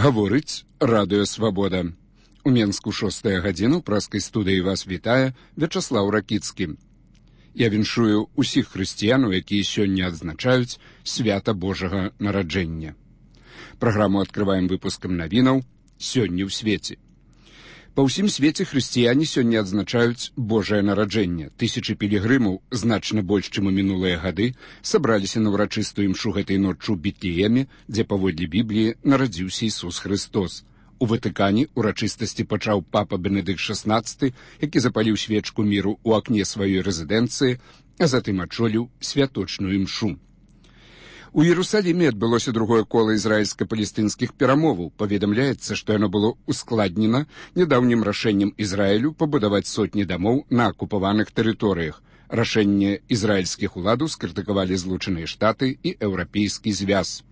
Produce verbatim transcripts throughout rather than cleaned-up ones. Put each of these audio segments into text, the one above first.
Гаворыць Радыё Свабода. У Менску шостая гадзіна, ў праскай студыі вас вітае Вячаслаў Ракіцкі. Я віншую ўсіх хрысціянаў, якія сёння адзначаюць свята Божага нараджэння. Праграму адкрываем выпускам навінаў «Сёння ў свеце». Па ўсім свеце хрысціяне сёння адзначаюць Божае нараджэнне. Тысячы пілігрымаў, значна больш, чым у мінулыя гады, сабраліся на ўрачыстую імшу гэтай ноччу ў Бетлееме, дзе паводле Бібліі нарадзіўся Ісус Хрыстос. У Ватыкане урачыстасці пачаў папа Бенедыкт шаснаццаты, які запаліў свечку міру ў акне сваёй рэзідэнцыі, а затым ачоліў святочную імшу. У Іерусаліме адбылося другое кола ізраільска-палестынскіх перамоваў. Паведамляецца, што яно было ускладнена нядаўнім рашэннем Ізраілю пабудаваць сотні дамоў на акупаваных тэрыторыях. Рашэнне ізраільскіх уладаў скрытыкавалі Злучаныя Штаты і Еўрапейскі звяз.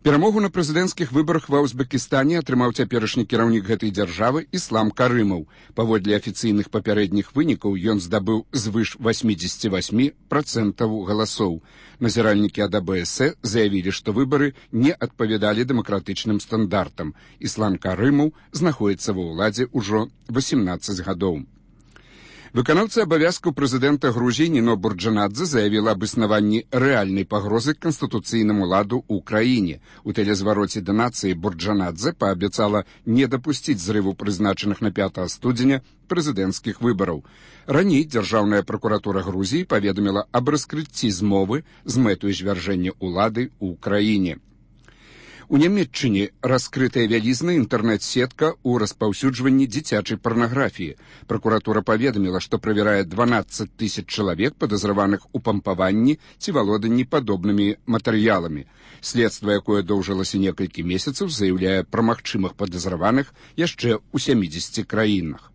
Перамогу на прэзідэнцкіх выбарах ва Узбекістане атрымаў цяперашні кіраўнік гэтай дзяржавы Іслам Карымаў. Паводле афіцыйных папярэдніх вынікаў ён здабыў звыш васьмідзесяці васьмі працэнтаў галасоў. Назіральнікі ад А Бэ Эс Э заявілі, што выбары не адпавядалі дэмакратычным стандартам. Іслам Карымаў знаходзіцца ва ўладзе ўжо васемнаццаць гадоў. Выканаўца абавязкаў прэзідэнта Грузіі Ніно Бурджанадзе заявіла аб існаванні рэальнай пагрозы канстытуцыйнаму ладу ў краіне. У тэлезвароце да нацыі Бурджанадзе паабяцала не дапусціць зрыву прызначаных на пятага студзеня прэзідэнцкіх выбараў. Раней дзяржаўная пракуратура Грузіі паведаміла аб раскрыцці змовы з мэтаю звяржэння ўлады ў краіне. У Нямецчыне раскрытая вялізная інтэрнэт-сетка ў распаўсюджванні дзіцячай парнаграфіі. Пракуратура паведаміла, што правярае дванаццаць тысяч чалавек, падазраваных у пампаванні ці валоданні падобнымі матэрыяламі. Следства, якое доўжылася некалькі месяцаў, заяўляе пра магчымых падазраваных яшчэ ў сямідзесяці краінах.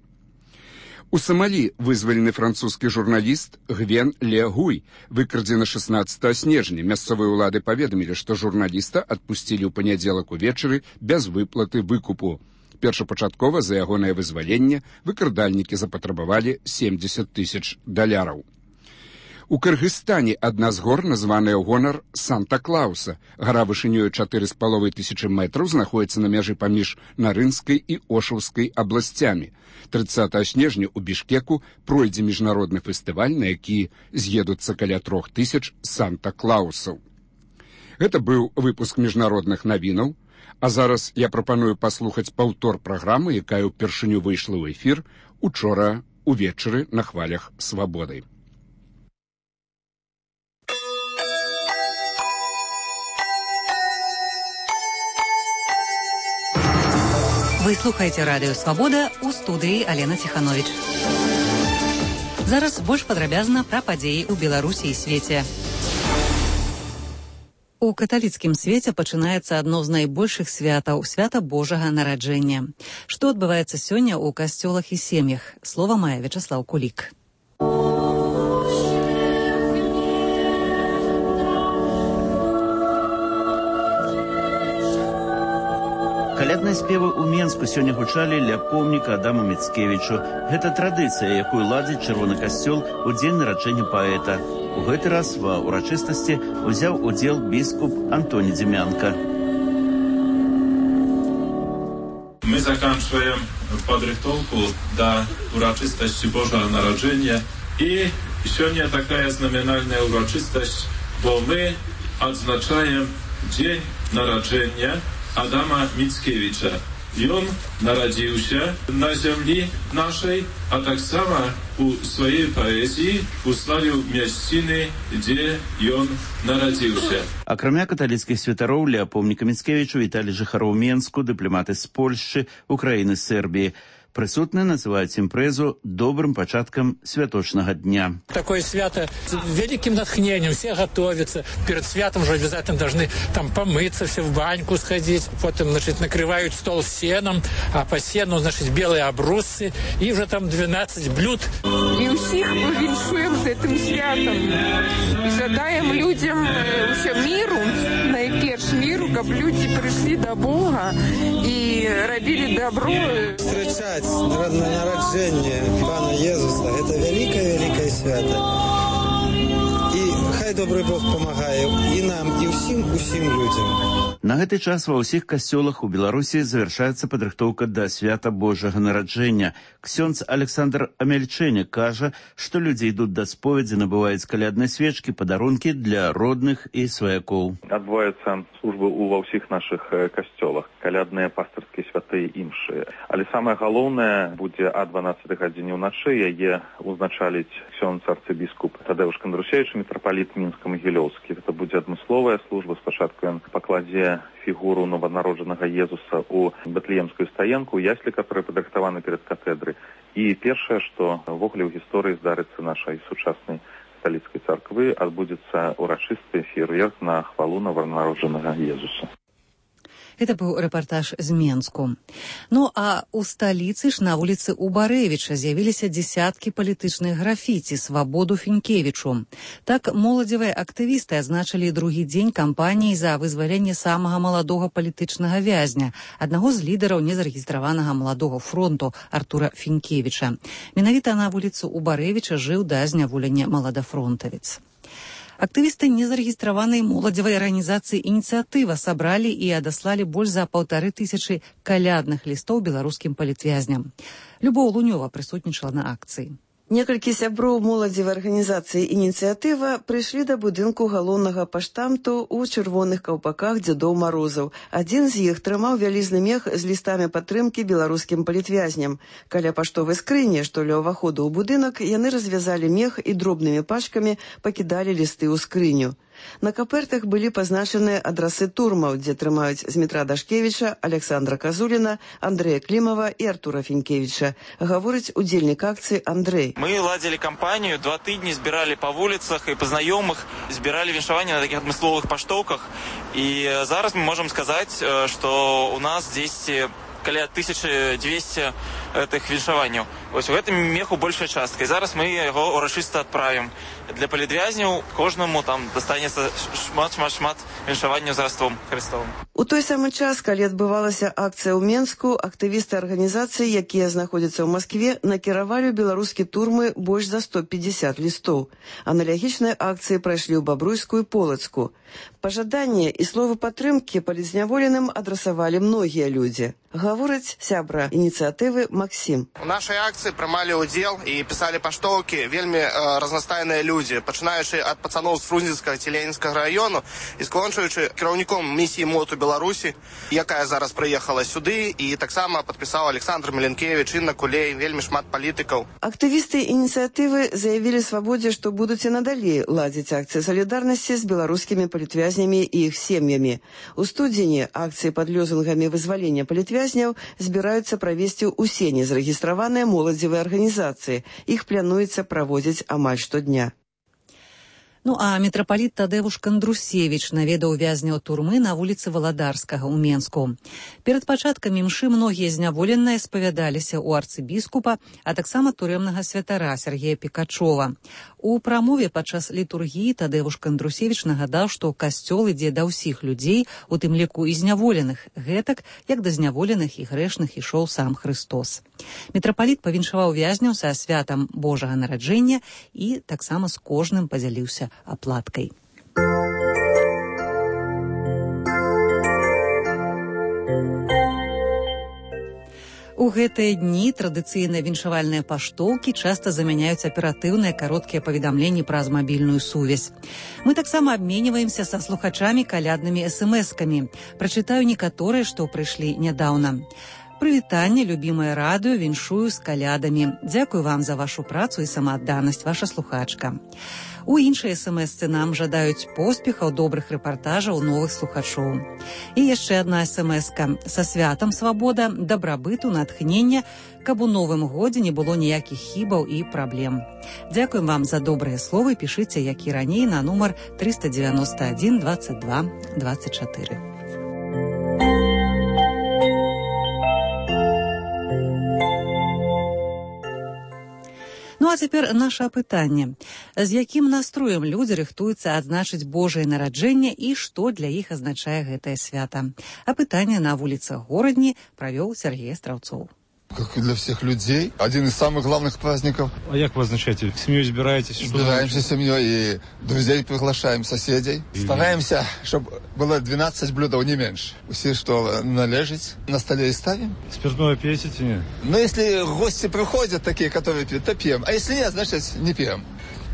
У Самалі вызвалены французскі журналіст Гвен Ле Гуй выкрадзены шаснаццатага снежня. Мясцовыя ўлады паведамілі, што журналіста адпусцілі ў панядзелак увечары без выплаты выкупу. Першапачаткова за ягонае вызваленне выкрадальнікі запатрабавалі семдзесят тысяч даляраў. У Кыргызстане адна з гор, названая ў гонар Санта-Клауса. Гара вышынёю чатыры з паловай тысячы метраў знаходіцца на мяжы паміж Нарынскай і Ошаўскай абласцямі. трыццатага снежня ў Бішкеку пройдзе міжнародны фестываль, на які з'едуцца каля трох тысяч Санта-Клаусаў. Гэта быў выпуск міжнародных навінаў, а зараз я прапаную паслухаць паўтор праграмы, якая ўпершыню выйшла ў эфір учора увечары на хвалях Свабоды. Вы слухаеце Радыё Свабода, у студыі Алена Ціхановіч. Зараз больш падрабязна пра падзеі ў Беларусі і свеце. У каталіцкім свеце пачынаецца адно з найбольшых святаў – свята Божага нараджэння. Што адбываецца сёння ў касцёлах і сем'ях? Слова мае Вячаслаў Кулік. Калядныя спевы ў Менску сёння гучалі ля помніка Адаму Міцкевічу. Гэта традыцыя, якую ладзіць Чырвоны касцёл у дзень нараджэння паэта. У гэты раз ва ўрачыстасці узяў удзел біскуп Антоні Дзімянка. My заканчиваем подрыхтовку до урочистости Божьего народжения. И сегодня такая знаменательная урочистость, бо мы отзначаем день народжения Адама Міцкевіча. Ён нарадзіўся на зямлі нашай, а таксама у сваёй паэзіі уславіў мясціны, дзе ён нарадзіўся. Акрамя каталіцкіх святароў ля помніка Міцкевічу віталі жыхароў Менску, дыпламаты з Польшчы, Украіны, Сербіі. Прысутныя называюць імпрэзу добрым пачаткам святочнага дня. Такое свято с великим натхнением, все готовятся. Перед святом же обязательно должны там помыться, все в баньку сходить. Потом, значит, накрывают стол сеном, а по сену, значит, белые обрусцы. И уже там двенадцать блюд. И усіх повіншуємо з цим святом. І жадаємо людям усе миру, найперш миру, щоб люди прийшли до Бога і робили добро. Встречать народжение Пана Иисуса – это великое-великое свято. И хай добры Бог памагае і нам, і ўсім, усім людзям. На гэты час ва ўсіх касцёлах у Беларусі завяршаецца падрыхтоўка да свята Божага нараджэння. Ксёндз Александр Амельчэнек кажа, што людзі ідуць да споведзі, набываюць калядныя свечкі, падарункі для родных і сваякоў. Адбываюцца службы ва ўсіх нашых касцёлах, калядныя, пастырскія, святыя, іншыя. Але самае галоўнае будзе а дванаццатай гадзіне ўначы, яе узначаліць ксёндз арцыбіскуп Тадеуш Кандрусевіч, мітрапаліт Мінска-Магілёўскі. Гэта будзе адмысловая служба. Спачатку ён пакладзе фігуру нованароджанага Езуса ў Бэтлеемскую стаенку, яслі, которые падрыхтаваны перад катэдрай. І першае, што ўвогуле ў гісторыі здарыцца нашай сучаснай каталіцкай царквы, адбудзецца урачысты феерверк на хвалу нованароджанага Езуса. Это быў рэпартаж з Менску. Ну, а ў сталіцы ж на вуліцы Убарэвіча з'явіліся дзесяткі палітычных графіці «Свабоду Фінкевічу». Так моладзевыя актывісты адзначылі другі дзень кампаніі за вызваленне самага маладога палітычнага вязня, аднаго з лідараў незарэгістраванага маладога фронту Артура Фінкевіча. Менавіта на вуліцу Убарэвіча жыў да зняволення маладафронтавец. Актывісты незарэгістраванай моладзевай арганізацыі «Ініцыятыва» сабралі і адаслалі больш за паўтары тысячы калядных лістоў беларускім палітвязням. Любоў Лунёва прысутнічала на акцыі. Некалькі сяброў моладзевай арганізацыі «Ініцыятыва» прыйшлі да будынку галоўнага паштамту ў чырвоных каўпаках дзедоў Марозаў. Адзін з іх трымаў вялізны мех з лістамі падтрымкі беларускім палітвязням. Каля паштовай скрыні, што ля ўваходу ў будынак, яны развязалі мех і дробнымі пачкамі пакідалі лісты ў скрыню. На капертах былі пазначаны адрасы турмаў, дзе трымаюць Змітра Дашкевіча, Александра Казуліна, Андрэя Клімава і Артура Фінкевіча. Гаворыць удзельнік акцыі Андрэй. Мы ладзілі кампанію, два тыдні збіралі па вуліцах і па знаёмых, збіралі віншаванне на такіх адмысловых паштоўках. І зараз мы можам сказаць, што у нас дзесьці каля тысяча дзвесце гэтых віншаванняў. Вось у гэтым меху большая частка. І зараз мы яго урачыста адправім. Для палітвязняў кожнаму там дастанецца шмат-шмат-шмат віншаванняў з раством Христовым. У той самы час, калі адбывалася акцыя ў Менску, актывісты арганізацыі, якія знаходзяцца ў Маскве, накіравалі ў беларускі турмы больш за сто пятьдесят лістоў. Аналагічныя акцыі прайшлі ў Бабруйску і Полацку. Пажаданні і словы падтрымкі палітзняволеным адрасавалі многія людзі. Гаворыць сябра ініцыятывы Максім. У нашай акцыі прымалі ўдзел і пісалі паштоўкі вельмі э, разнастайныя людзі, пачынаючы ад пацаноў з Фрунзенскага ці Ленінскага раёну і скончуючы кіраўніком місіі МОТ у Беларусі, якая зараз прыехала сюды, і таксама падпісаў Александр Меленкевіч, Інна Кулей, вельмі шмат палітыкаў. Актывісты ініцыятывы заявілі Свабодзе, што будуць і надалей ладзіць акцыі салідарнасці з беларускімі палітвязнямі і іх сем'ямі. У студзені акцыі пад лёзунгамі вызвалення палітвязняў збіраюцца правесці ўсе незарэгістраваныя моладзевыя арганізацыі. Іх плануецца праводзіць амаль штодня. Ну а мітрапаліт Тадеуш Кандрусевіч наведаў вязняў турмы на вуліцы Валадарскага ў Менску. Перад пачаткам імшы многія зняволеныя спавядаліся ў арцыбіскупа, а таксама турэмнага святара Сергея Пікачова. У прамове падчас літургіі Тадеуш Кандрусевіч нагадаў, што касцёл ідзе да ўсіх людзей, у тым ліку і зняволеных, гэтак, як да зняволеных і грэшных ішоў сам Христос. Мітрапаліт павіншаваў вязняў са святам Божага нараджэння і таксама з кожным падзяліўся аплаткай. У гэтыя дні традыцыйныя віншавальныя паштоўкі часта замяняюць аператыўныя кароткія паведамленні праз мабільную сувязь. Мы таксама абменьваемся са слухачамі каляднымі эс-эм-эскамі. Прачытаю некаторыя, што прыйшлі нядаўна. Прывітанне, любімае радыё, віншую з калядамі. Дзякую вам за вашу працу і самаадданасць, ваша слухачка. У іншай эс-эм-эсцы нам жадаюць поспехаў, добрых рэпартажаў, новых слухачоў. І яшчэ адна эс-эм-эска. Са святам свабода, дабрабыту, натхнення, каб у новым годзе не было ніякіх хібаў і праблем. Дзякуем вам за добрыя словы. Пішыце, як і раней, на нумар трыста девяносто один двадцать два двадцать четыре. Ну а цяпер наша апытанне. З якім настроем людзі рыхтуюцца адзначыць Божае нараджэнне і што для іх азначае гэтае свята? Апытанне на вуліцах горадні правёў Сергей Страўцоў. Как и для всех людей. Один из самых главных праздников. А как вы отмечаете? Семьей собираетесь? Собираемся семьей и друзей приглашаем, соседей. И... Стараемся, чтобы было двенадцать блюд, не меньше. Все, что належит, на столе и ставим. Спиртное пьете, нет? Но если гости приходят, такие, которые пьют, то пьем. А если нет, значит, не пьем.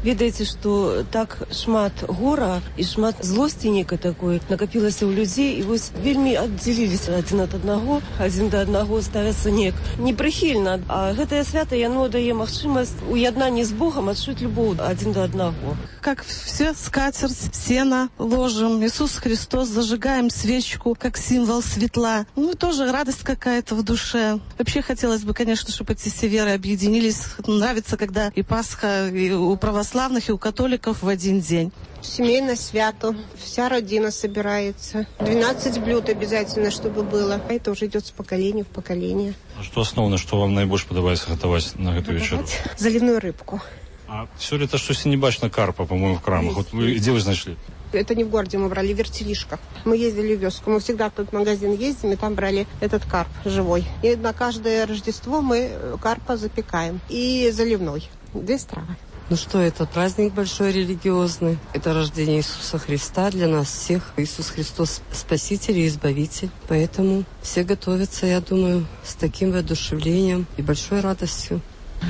Ведаеце, што так шмат гора і шмат злосці некай такой накапілася ў людзей, і вось вельмі аддзяліліся адзін ад аднаго, адзін да аднаго ставяцца неяк непрыхільна. А гэтае свята яно дае магчымасць у яднанні з Богам адчуць любоў адзін да аднаго. Как все, скатерть, сено ложим, Иисус Христос, зажигаем свечку, как символ светла. Ну, тоже радость какая-то в душе. Вообще хотелось бы, конечно, чтобы эти все веры объединились. Нравится, когда и Пасха, и у православных, и у католиков в один день. Семейное свято. Вся родина собирается. двенадцать блюд обязательно, чтобы было. Это уже идет с поколения в поколение. А что основное, что вам наибольше подобается готовить на эту вечеру? Заливную рыбку. А все ли это, что не бачно карпа, по-моему, в крамах? Вот вы, где вы нашли? Это не в городе мы брали, в Вертелишках. Мы ездили в вёску. Мы всегда в тот магазин ездим, и там брали этот карп живой. И на каждое Рождество мы карпа запекаем. И заливной. Две стравы. Ну что, это праздник большой религиозный. Это рождение Иисуса Христа для нас всех. Иисус Христос Спаситель и Избавитель. Поэтому все готовятся, я думаю, с таким воодушевлением и большой радостью.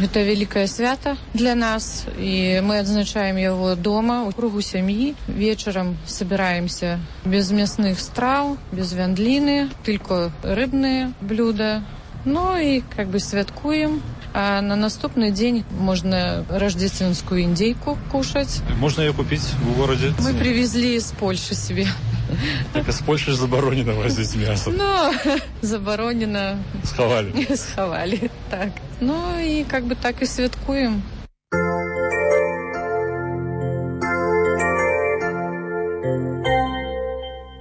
Это великое свято для нас, и мы отзначаем его дома, у кругу семьи. Вечером собираемся без мясных страв, без вяндлины, только рыбные блюда. Ну и как бы святкуем. А на наступный день можно рождественскую индейку кушать. Можно ее купить в городе? Мы привезли из Польши себе. Так из Польши заборонено возить мясо. Ну, заборонено. Сховали. Сховали, так. Ну и как бы так и святкуем.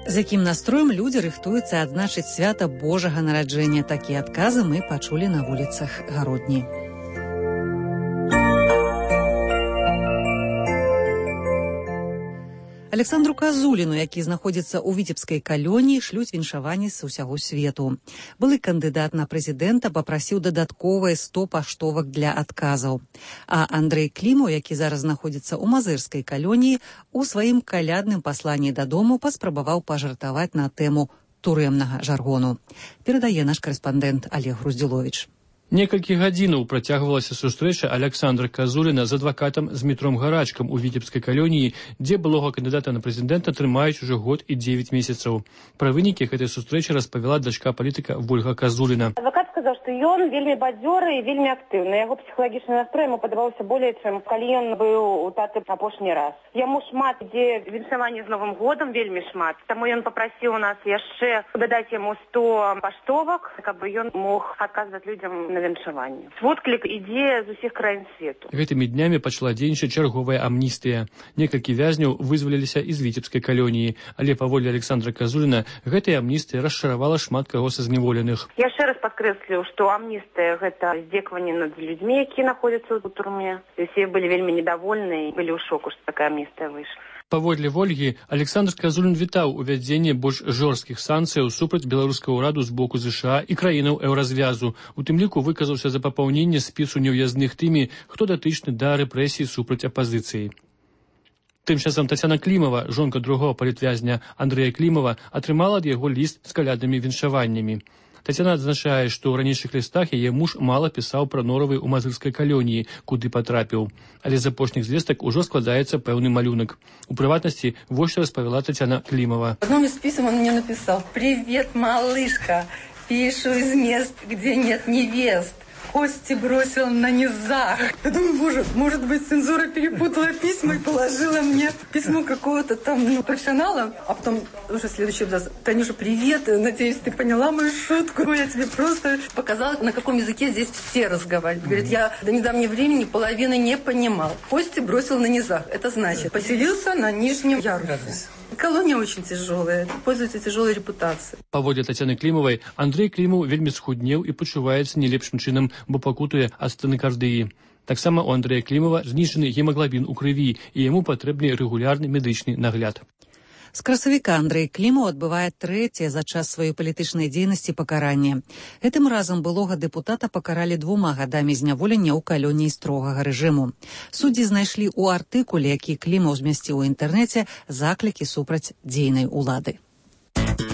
З якім настроем людзі рыхтуюцца адзначыць свята Божага нараджэння. Такія адказы мы пачулі на вуліцах Гародні. Александру Казуліну, які знаходзіцца ў віцебскай калоніі, шлюць віншаванні з усяго свету. Былы кандыдат на прэзідэнта папрасіў дадатковыя сто паштовак для адказаў. А Андрэй Клімаў, які зараз знаходзіцца ў мазырскай калоніі, у сваім калядным пасланні дадому паспрабаваў пажартаваць на тэму турэмнага жаргону. Перадае наш карэспандэнт Олег Груздзіловіч. Некалькі гадзінаў працягвалася сустрэча Александра Казуліна з адвакатам Змітром Гарачкам у віцебскай калоніі, дзе былога кандыдата на прэзідэнта трымаюць ужо год і дзевяць месяцаў. Пра вынікі гэтай сустрэчы распавяла дачка палітыка Вольга Казуліна. Адвакат сказаў, што ён вельмі бадзёры і вельмі актыўны. Яго псіхалагічны настрой яму падабаўся болей, чым калі ён быў у таты апошні раз. Яму шмат ідзе віншаванне з Новым годам, вельмі шмат. Таму ён папрасіў у нас яшчэ дадаць яму сто паштовак, каб ён мог адказваць людзям на віншаванне. Водклік ідзе з усіх краін свету. Гэтымі днямі пачала дзейнічаць чарговая амністыя. Некалькі вязняў вызваліліся з віцебскай калоніі, але паводле Александра Казуліна гэтая амністыя расчаравала шмат каго са зняволеных. Яшчэ раз падкрэслю, што амністыя гэта здзекаванне над людзьмі, якія знаходзяцца ў турме. Усе былі вельмі недовольны і былі ў шоку, што такая амністыя выйшла. Паводле Вольгі, Александр Казулін вітаў увядзенне больш жорсткіх санкцыяў супраць беларускага ўраду з боку ЗША і краінаў еўразвязу. У тым ліку выказаўся за папаўненне спісу неўязных тымі, хто датычны да рэпрэсій супраць апазіцыі. Тым часам Тацяна Клімава, жонка другого палітвязня Андрэя Клімава, атрымала ад яго ліст з каляднымі віншаваннямі. Тацяна адзначае, што ў ранейшых лістах яе муж мала пісаў пра норавы ў мазырскай калоніі, куды патрапіў. Але з апошніх звестак ужо складаецца пэўны малюнак. У прыватнасці, вось што распавяла Тацяна Клімава. В одном из писем он мне написал: «Привет, малышка, пишу из мест, где нет невест. Кости бросил на низах». Я думаю, боже, может быть, цензура перепутала письма и положила мне письмо какого-то там ну, профессионала. А потом уже следующий абзац: «Танюша, привет, надеюсь, ты поняла мою шутку. Я тебе просто показала, на каком языке здесь все разговаривают». Говорит, я до недавнего времени половины не понимал. Кости бросил на низах. Это значит, поселился на нижнем ярусе. Колония очень тяжелая, пользуется тяжелой репутацией. Паводле Тацяны Клімавай, Андрэй Клімаў вельмі схуднеў і пачуваецца не лепшым чынам, бо пакутуе ад стэнакардыі. Таксама у Андрэя Клімава знішчаны гемаглабін у крыві, і яму патрэбны рэгулярны медычны нагляд. З красавіка Андрэй Клімаў адбывае трэцяе за час сваёй палітычнай дзейнасці пакаранне. Гэтым разам былога дэпутата пакаралі двума гадамі зняволення ў калоніі строгага рэжыму. Суддзі знайшлі ў артыкуле, які Клімаў змясціў у інтэрнэце, заклікі супраць дзейнай улады.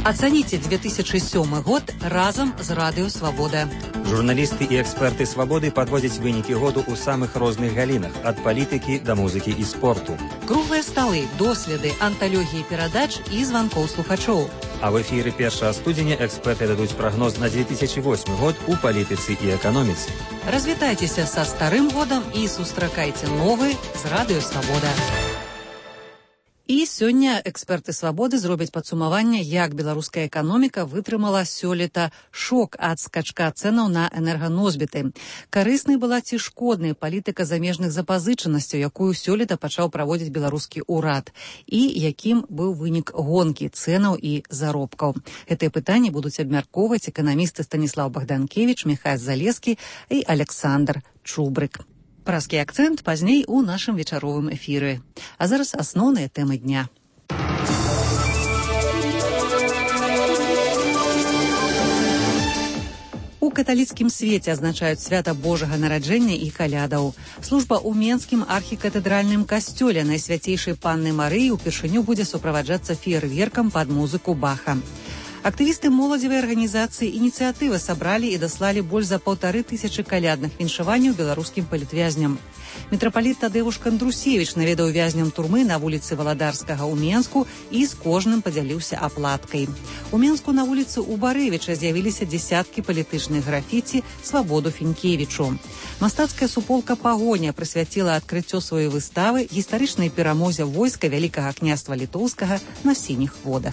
Ацаніце две тысячы сёмы год разам з Радыё Свабода. Журналісты і эксперты Свабоды падводзяць вынікі году ў самых розных галінах, ад палітыкі да музыкі і спорту. Круглыя сталы, доследы, анталогіі перадач і званкоў слухачоў. А в эфіры першага студзеня эксперты дадуць прагноз на две тысячи восьмы год у палітыцы і эканоміцы. Развітайцеся са старым годам і сустракайце новы з Радыё Свабода. І сёння эксперты Свабоды зробяць падсумаванне, як беларуская эканоміка вытрымала сёлета шок ад скачка цэнаў на энерганосьбіты. Карыснай была ці шкоднай палітыка замежных запазычанасцяў, якую сёлета пачаў праводзіць беларускі ўрад, і якім быў вынік гонкі цэнаў і заробкаў. Гэтыя пытанні будуць абмяркоўваць эканамісты Станіслаў Богданкевич, Міхась Залескі і Александр Чубрык. Праскі акцэнт пазней у нашым вечаровым эфіры. А зараз асноўныя тэмы дня. У каталіцкім свеце адзначаюць свята Божага нараджэння і калядаў. Служба ў Менскім архікатэдральным касцёле Найсвяцейшай Панны Марыі ўпершыню будзе суправаджацца феерверкам пад музыку Баха. Актывісты моладзевай арганізацыі «Ініцыятыва» сабралі і даслалі больш за паўтары тысячы калядных віншаванняў беларускім палітвязням. Мітрапаліт Тадэвуш Кандрусевіч наведаў вязням турмы на вуліцы Валадарскага ў Менску і з кожным падзяліўся аплаткай. У Менску на вуліцы Убарэвіча з'явіліся дзясяткі палітычных графіці «Свабоду Фінкевічу». Мастацкая суполка «Пагоня» прысвяціла адкрыццё сваёй выставы гістарычнай перамозе войска Вялікага княства Літоўскага на сініх водах.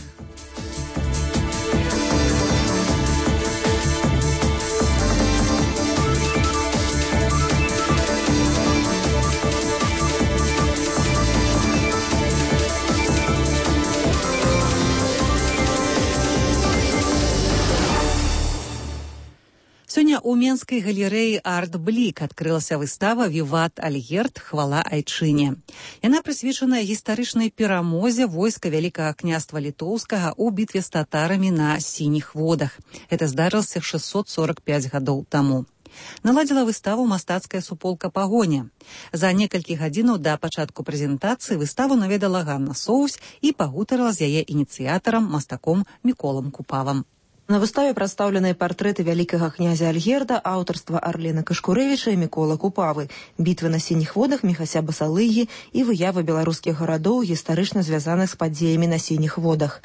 Сёння ў Менскай галерэі «Арт-Блік» адкрылася выстава «Віват Альгерд. Хвала Айчыне». Яна прысвечана гістарычнай перамозе войска Вялікага княства Літоўскага ў бітве з татарамі на сініх водах. Гэта здарылася шэсцьсот сорак пяць гадоў таму. Наладзіла выставу мастацкая суполка «Пагоня». За некалькі гадзінаў да пачатку прэзентацыі выставу наведала Ганна Соўсь і пагутарыла з яе ініцыятарам, мастаком Міколам Купавам. На выставе прадстаўленыя партрэты вялікага князя Альгерда, аўтарства Арлена Кашкурэвіча і Мікола Купавы, бітвы на сініх водах Міхася Басалыгі і выявы беларускіх гарадоў, гістарычна звязаных з падзеямі на сініх водах.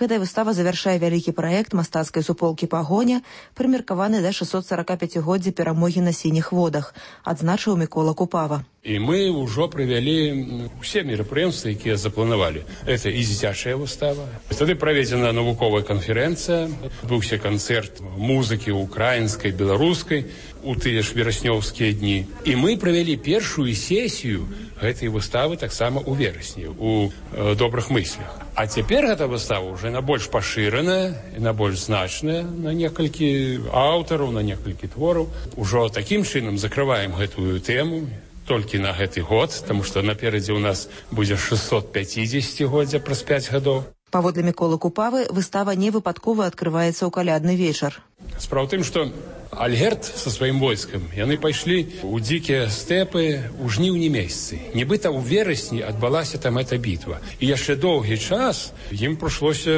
Гэтая выстава завяршае вялікі праект мастацкай суполкі «Пагоня», прымеркаваны да шэсцьсот саракапяцігоддзя перамогі на сініх водах, адзначыў Мікола Купава. І мы ўжо правялі ўсе мерапрыемствы, якія запланавалі. Это і дзіцячая выстава. Тады праведзена навуковая канферэнцыя, быўся канцэрт музыкі украінскай, беларускай у тыя ж вераснёўскія дні. І мы правялі першую сесію гэтай выставы таксама ў верасні, у э, добрых мыслях. А цяпер гэта выстава ўжо на больш пашыраная, на больш значная, на некалькі аўтараў, на некалькі твораў. Ужо такім чынам закрываем гэтую тэму толькі на гэты год, таму што наперадзе ў нас будзе шэсцьсот пяцідзесяцігоддзя праз пяць гадоў. Паводле Міколы Купавы, выстава не выпадкова адкрываецца ў калядны вечар. Справа ў тым, што Альгерд са сваім войскам, яны пайшлі ў дзікія стэпы ў жніўні месяцы. Нібыта ў верасні адбылася там эта бітва. І яшчэ доўгі час ім прыйшлося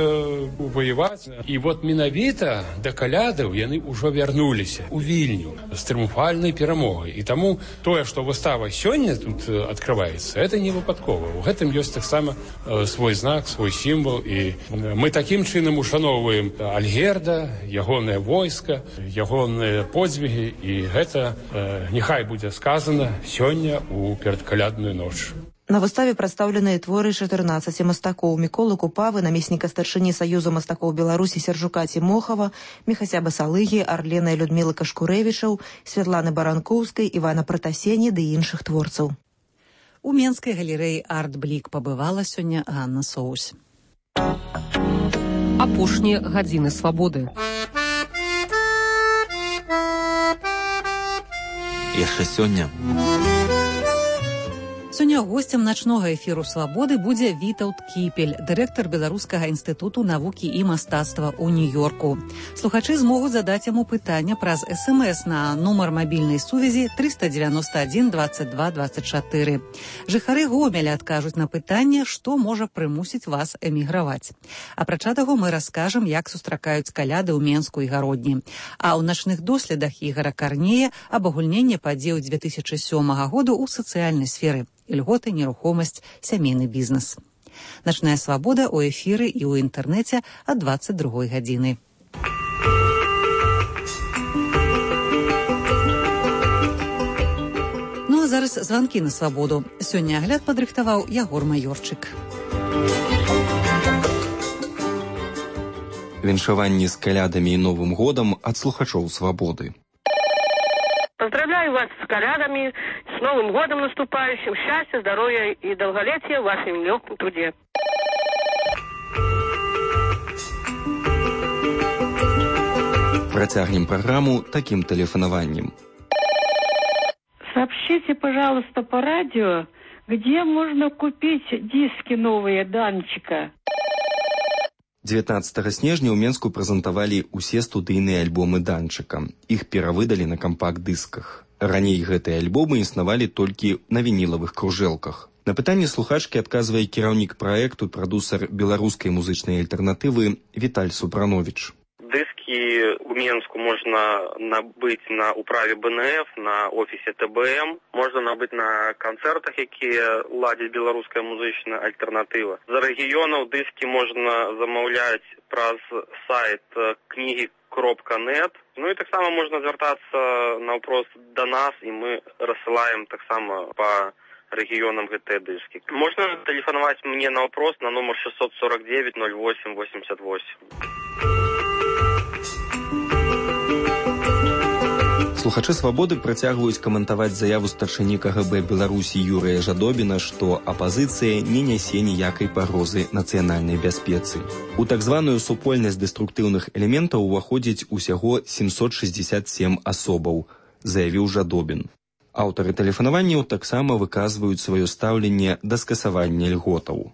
воеваць. І вот менавіта да калядаў яны ўжо вярнуліся ў Вільню з трыумфальнай перамогай. І таму тое, што выстава сёння тут адкрываецца, это не выпадкова. У гэтым ёсць таксама свой знак, свой сімвал. І мы такім чынам ушаноўваем Альгерда, ягонае войска, ягонае подзвігі, і гэта э, няхай будзе сказана сёння ў перадкалядную ноч. На выставе прадстаўленыя творы чатырнаццаці мастакоў: Міколы Купавы, намесніка старшыні Саюза мастакоў Беларусі Сяржука Цімохава, Міхася Басалыгі, Арлена і Людмілы Кашкурэвічаў, Святланы Баранкоўскай, Івана Пратасені ды іншых творцаў. У Менскай галерэі «Арт-Блік» пабывала сёння Ганна Соўсь. Апошнія гадзіны свабоды. Яшчэ сёння. Сёння Сёння госцем начнога эфіру «Свабоды» будзе Вітаўт Кіпель, дырэктар Беларускага інстытуту навукі і мастацтва ў Нью-Йорку. Слухачы змогуць задаць яму пытання праз эс эм эс на нумар мабільнай сувязі трыста дзевяносто адзін двадцать два двадцать чатыры. Жыхары Гомеля адкажуць на пытанне, што можа прымусіць вас эміграваць. Апрача таго, мы раскажам, як сустракаюць каляды ў Менску і Гародні. А ў начных доследах Ігора Карнея абагульненне падзеяў дзве тысячы сёмага году ў сацыяльнай сферы. Льготы, нерухомасць, сямейны бізнес. Начная свабода ў эфіры і ў інтэрнэце ад двадцать другой гадзіны. Ну а зараз званкі на свабоду. Сёння агляд падрыхтаваў Ягор Маёрчык. Віншаванні з калядамі і Новым годам ад слухачоў свабоды. Поздравляю вас с колядами, с Новым годом наступающим, счастья, здоровья и долголетия в вашем нелегком труде. Протягнем программу таким телефонованием. Сообщите, пожалуйста, по радио, где можно купить диски новые Данчика. девятнадцатага снежня ў Менску прэзентавалі ўсе студыйныя альбомы Данчыка. Іх перавыдалі на кампакт-дысках. Раней гэтыя альбомы існавалі толькі на вінілавых кружэлках. На пытанне слухачкі адказвае кіраўнік праекту, прадусар беларускай музычнай альтэрнатывы Віталь Супрановіч. Диски у Менску можно набыть на управе бэ эн эф, на офисе тэ бэ эм, можно набыть на концертах, якія ладзіць беларуская музычная альтэрнатыва. За рэгіёнаў диски можно замаўляць праз сайт кнігі кропка нет. Ну и таксама можно звяртацца наўпрост до нас, и мы рассылаем таксама по регионам гэтыя диски. Можно телефоновать мне на вопрос на номер шестьсот сорок девять ноль восемь восемьдесят восемь. Слухачы свабоды працягваюць каментаваць заяву старшыні ка гэ бэ Беларусі Юрыя Жадобіна, што апазіцыя не нясе ніякай пагрозы нацыянальнай бяспецы. У так званую супольнасць дэструктыўных элементаў уваходзіць усяго семьсот шестьдесят семь асобаў, заявіў Жадобін. Аўтары тэлефанаванняў таксама выказваюць сваё стаўленне да скасавання льготаў.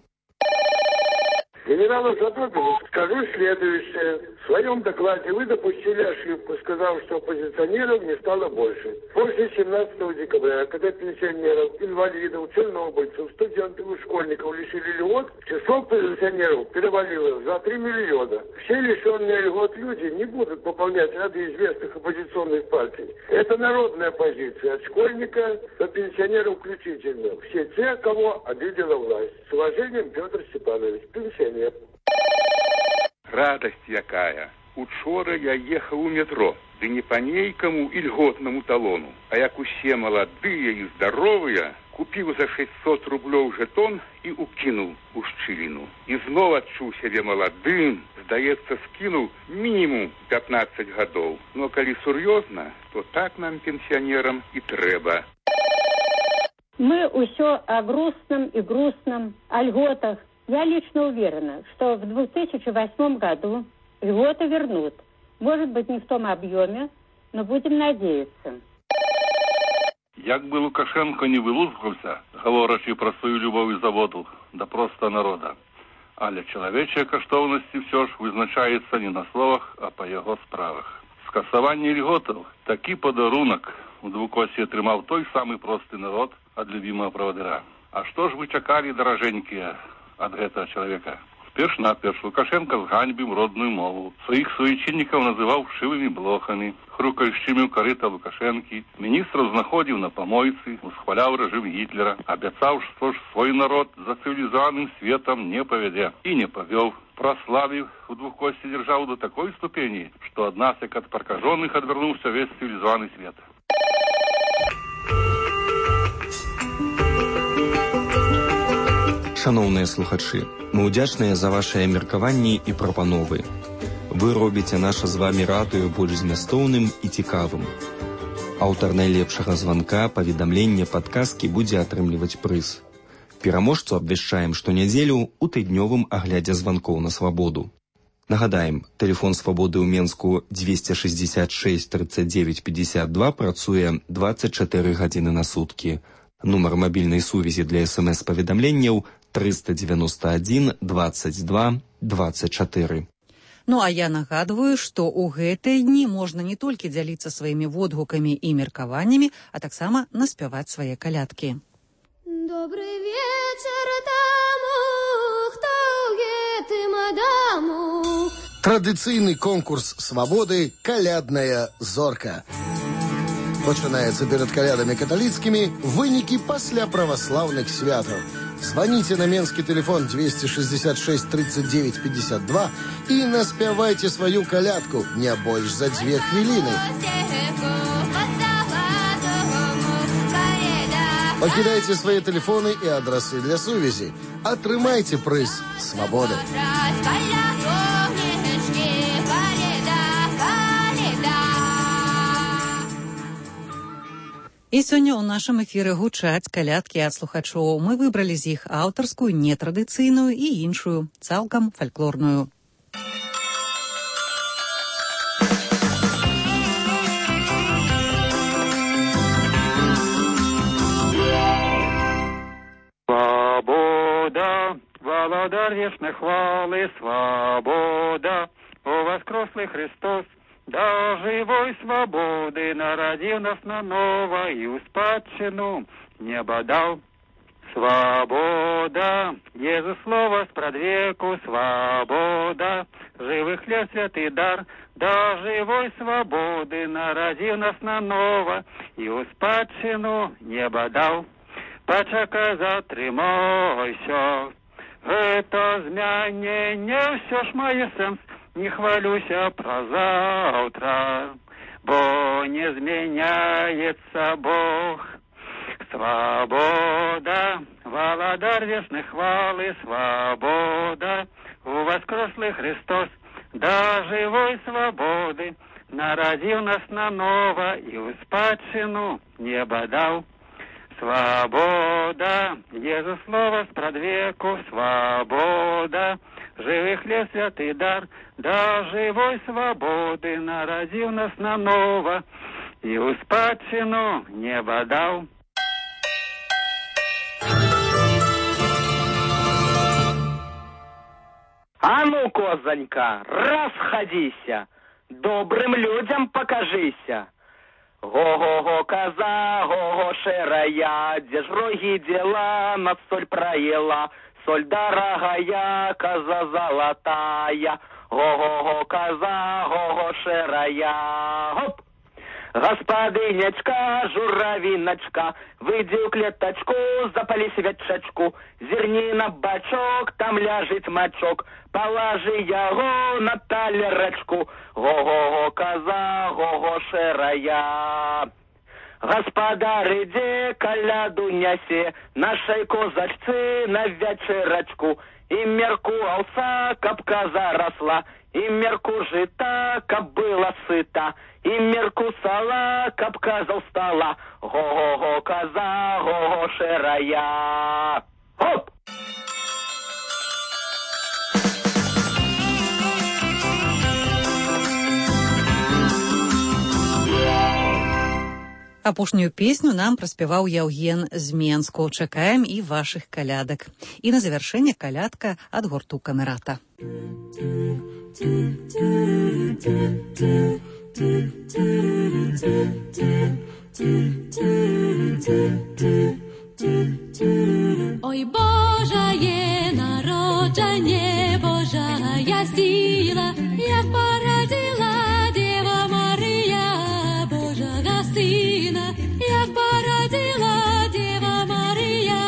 Генералу Жадобину скажу следующее. В своем докладе вы допустили ошибку, сказав, что оппозиционеров не стало больше. После семнадцатого декабря, когда пенсионеров, инвалидов, чернобыльцев, студентов и школьников лишили льгот, число пенсионеров перевалило за три миллиона. Все лишенные льгот люди не будут пополнять ряды известных оппозиционных партий. Это народная позиция, от школьника до пенсионеров включительно. Все те, кого обидела власть. С уважением, Петр Степанович, пенсионер. Радость якая. Учора я ехал у метро, да не по нейкому льготному талону, а як усе молодые и здоровые, купил за шестьсот рублёў жетон и укинул у шчыліну. И снова отчуў себе молодым, здаецца, скинул минимум пятнадцать годов. Но коли серьезно, то так нам, пенсионерам, и треба. Мы усё о грустном и грустном, о льготах. Я лично уверена, что в две тысячи восьмом году льготы вернут. Может быть, не в том объеме, но будем надеяться. Як бы Лукашенко не вылузгаўся, гаворачы пра сваю любоў і заводу, да проста народа. Але чалавечыя каштоўнасці ўсё ж вызначаецца не на словах, а па яго справах. Скасаванне льготаў – такі падарунак у двукосе атрымаў той самы просты народ ад любімага правадыра. А што ж вы чакалі, даражэнькія, ад гэтага чалавека? Перш-наперш Лукашенко зганьбіў родную мову. Сваіх суайчыннікаў называў шывымі блохамі, хрукаючымі ў карыта Лукашэнкі, міністраў знаходзіў на памойцы, усхваляў рэжым Гітлера, абяцаў, што ж свой народ за цывілізаваным светам не павядзе. І не павёў. Праславіў у двухкосці дзяржаву до такой ступені, што ад нас, як ад пракажоных, адвярнуўся весь цывілізаваны свет. Шаноўныя слухачы, мы ўдзячныя за вашыя меркаванні і прапановы. Вы робіце наша з вамі радыё больш змястоўным і цікавым. Аўтар найлепшага званка, паведамлення, падказкі будзе атрымліваць прыз. Пераможцу абвяшчаем штонядзелю ў тыднёвым аглядзе званкоў на свабоду. Нагадаем, тэлефон свабоды ў Менску двести шестьдесят шесть тридцать девять пятьдесят два працуе двадцать чатыры гадзіны на суткі, Нумар мабільнай сувязі для смс-паведамленняў триста девяносто один двадцать два двадцать четыре. Ну а я нагадваю, што ў гэтыя дні можна не толькі дзяліцца сваімі водгукамі і меркаваннямі, а таксама наспяваць свае калядкі. Добрый вечер тому, хто ў гэтым адаму. Традыцыйны конкурс свабоды «Калядная зорка». Пачынаецца перад калядамі каталіцкімі, вынікі пасля праваслаўных святаў. Звоните на менский телефон двести шестьдесят шесть тридцать девять пятьдесят два и наспявайте свою колядку не больше за две хвилины. Покидайте свои телефоны и адресы для сувязи. Атрымайте прыз свободы. І сёння ў нашым эфіры гучаць калядкі ад слухачоў. Мы выбралі з іх аўтарскую, нетрадыцыйную і іншую, цалкам фальклорную. Свобода, володар вечной хвалы, свобода, о воскреслый Христос. Да живой свободы народил нас наново и у спадщину небо дал. Свобода, Езус слово спрадвеку, свобода, живый хлеб святый дар. Да живой свободы народил нас наново и у спадщину небо дал. Почекай, затрымайся, это змянение все ж мое сенс. Не хвалюся про завтра, бо не зменяется Бог. Свобода, володар вечной хвалы, свобода, у воскреслый Христос, да живой свободы, народил нас наново и у спадщину небо дал. Свобода, Езус слово спрадвеку, свобода, живый хлеб святый дар, да живой свободы народил нас наново и у спадщину небо дал. А ну, козонька, расходися, добрым людям покажися. Го-го-го, коза, го-го, шерая, где ж роги дела, над соль проела. Соль дорогая, коза золотая, го-го-го, коза, го-го, шерая. Хоп! Господынечка, журавиночка, выйди в клеточку, запали свечечку, зерни на бачок, там ляжет мочок, положи его на талерочку, го-го-го, коза, го-го, шерая. Господар, иди коляду неси, нашей козачцы на вечерочку, и мерку овса, каб коза росла, и мерку жита, каб была сыта, и мерку сала, каб коза устала, го-го-го, коза, го-го, шерая. Хоп! Апошнюю песню нам праспяваў Яўген з Менску. Чакаем і вашых калядак. І на завяршэнне калядка ад гурту Камерата. Ой, Божае народжанне, Божая сила, як породила Дева Мария Божага сына, як породила Дева Мария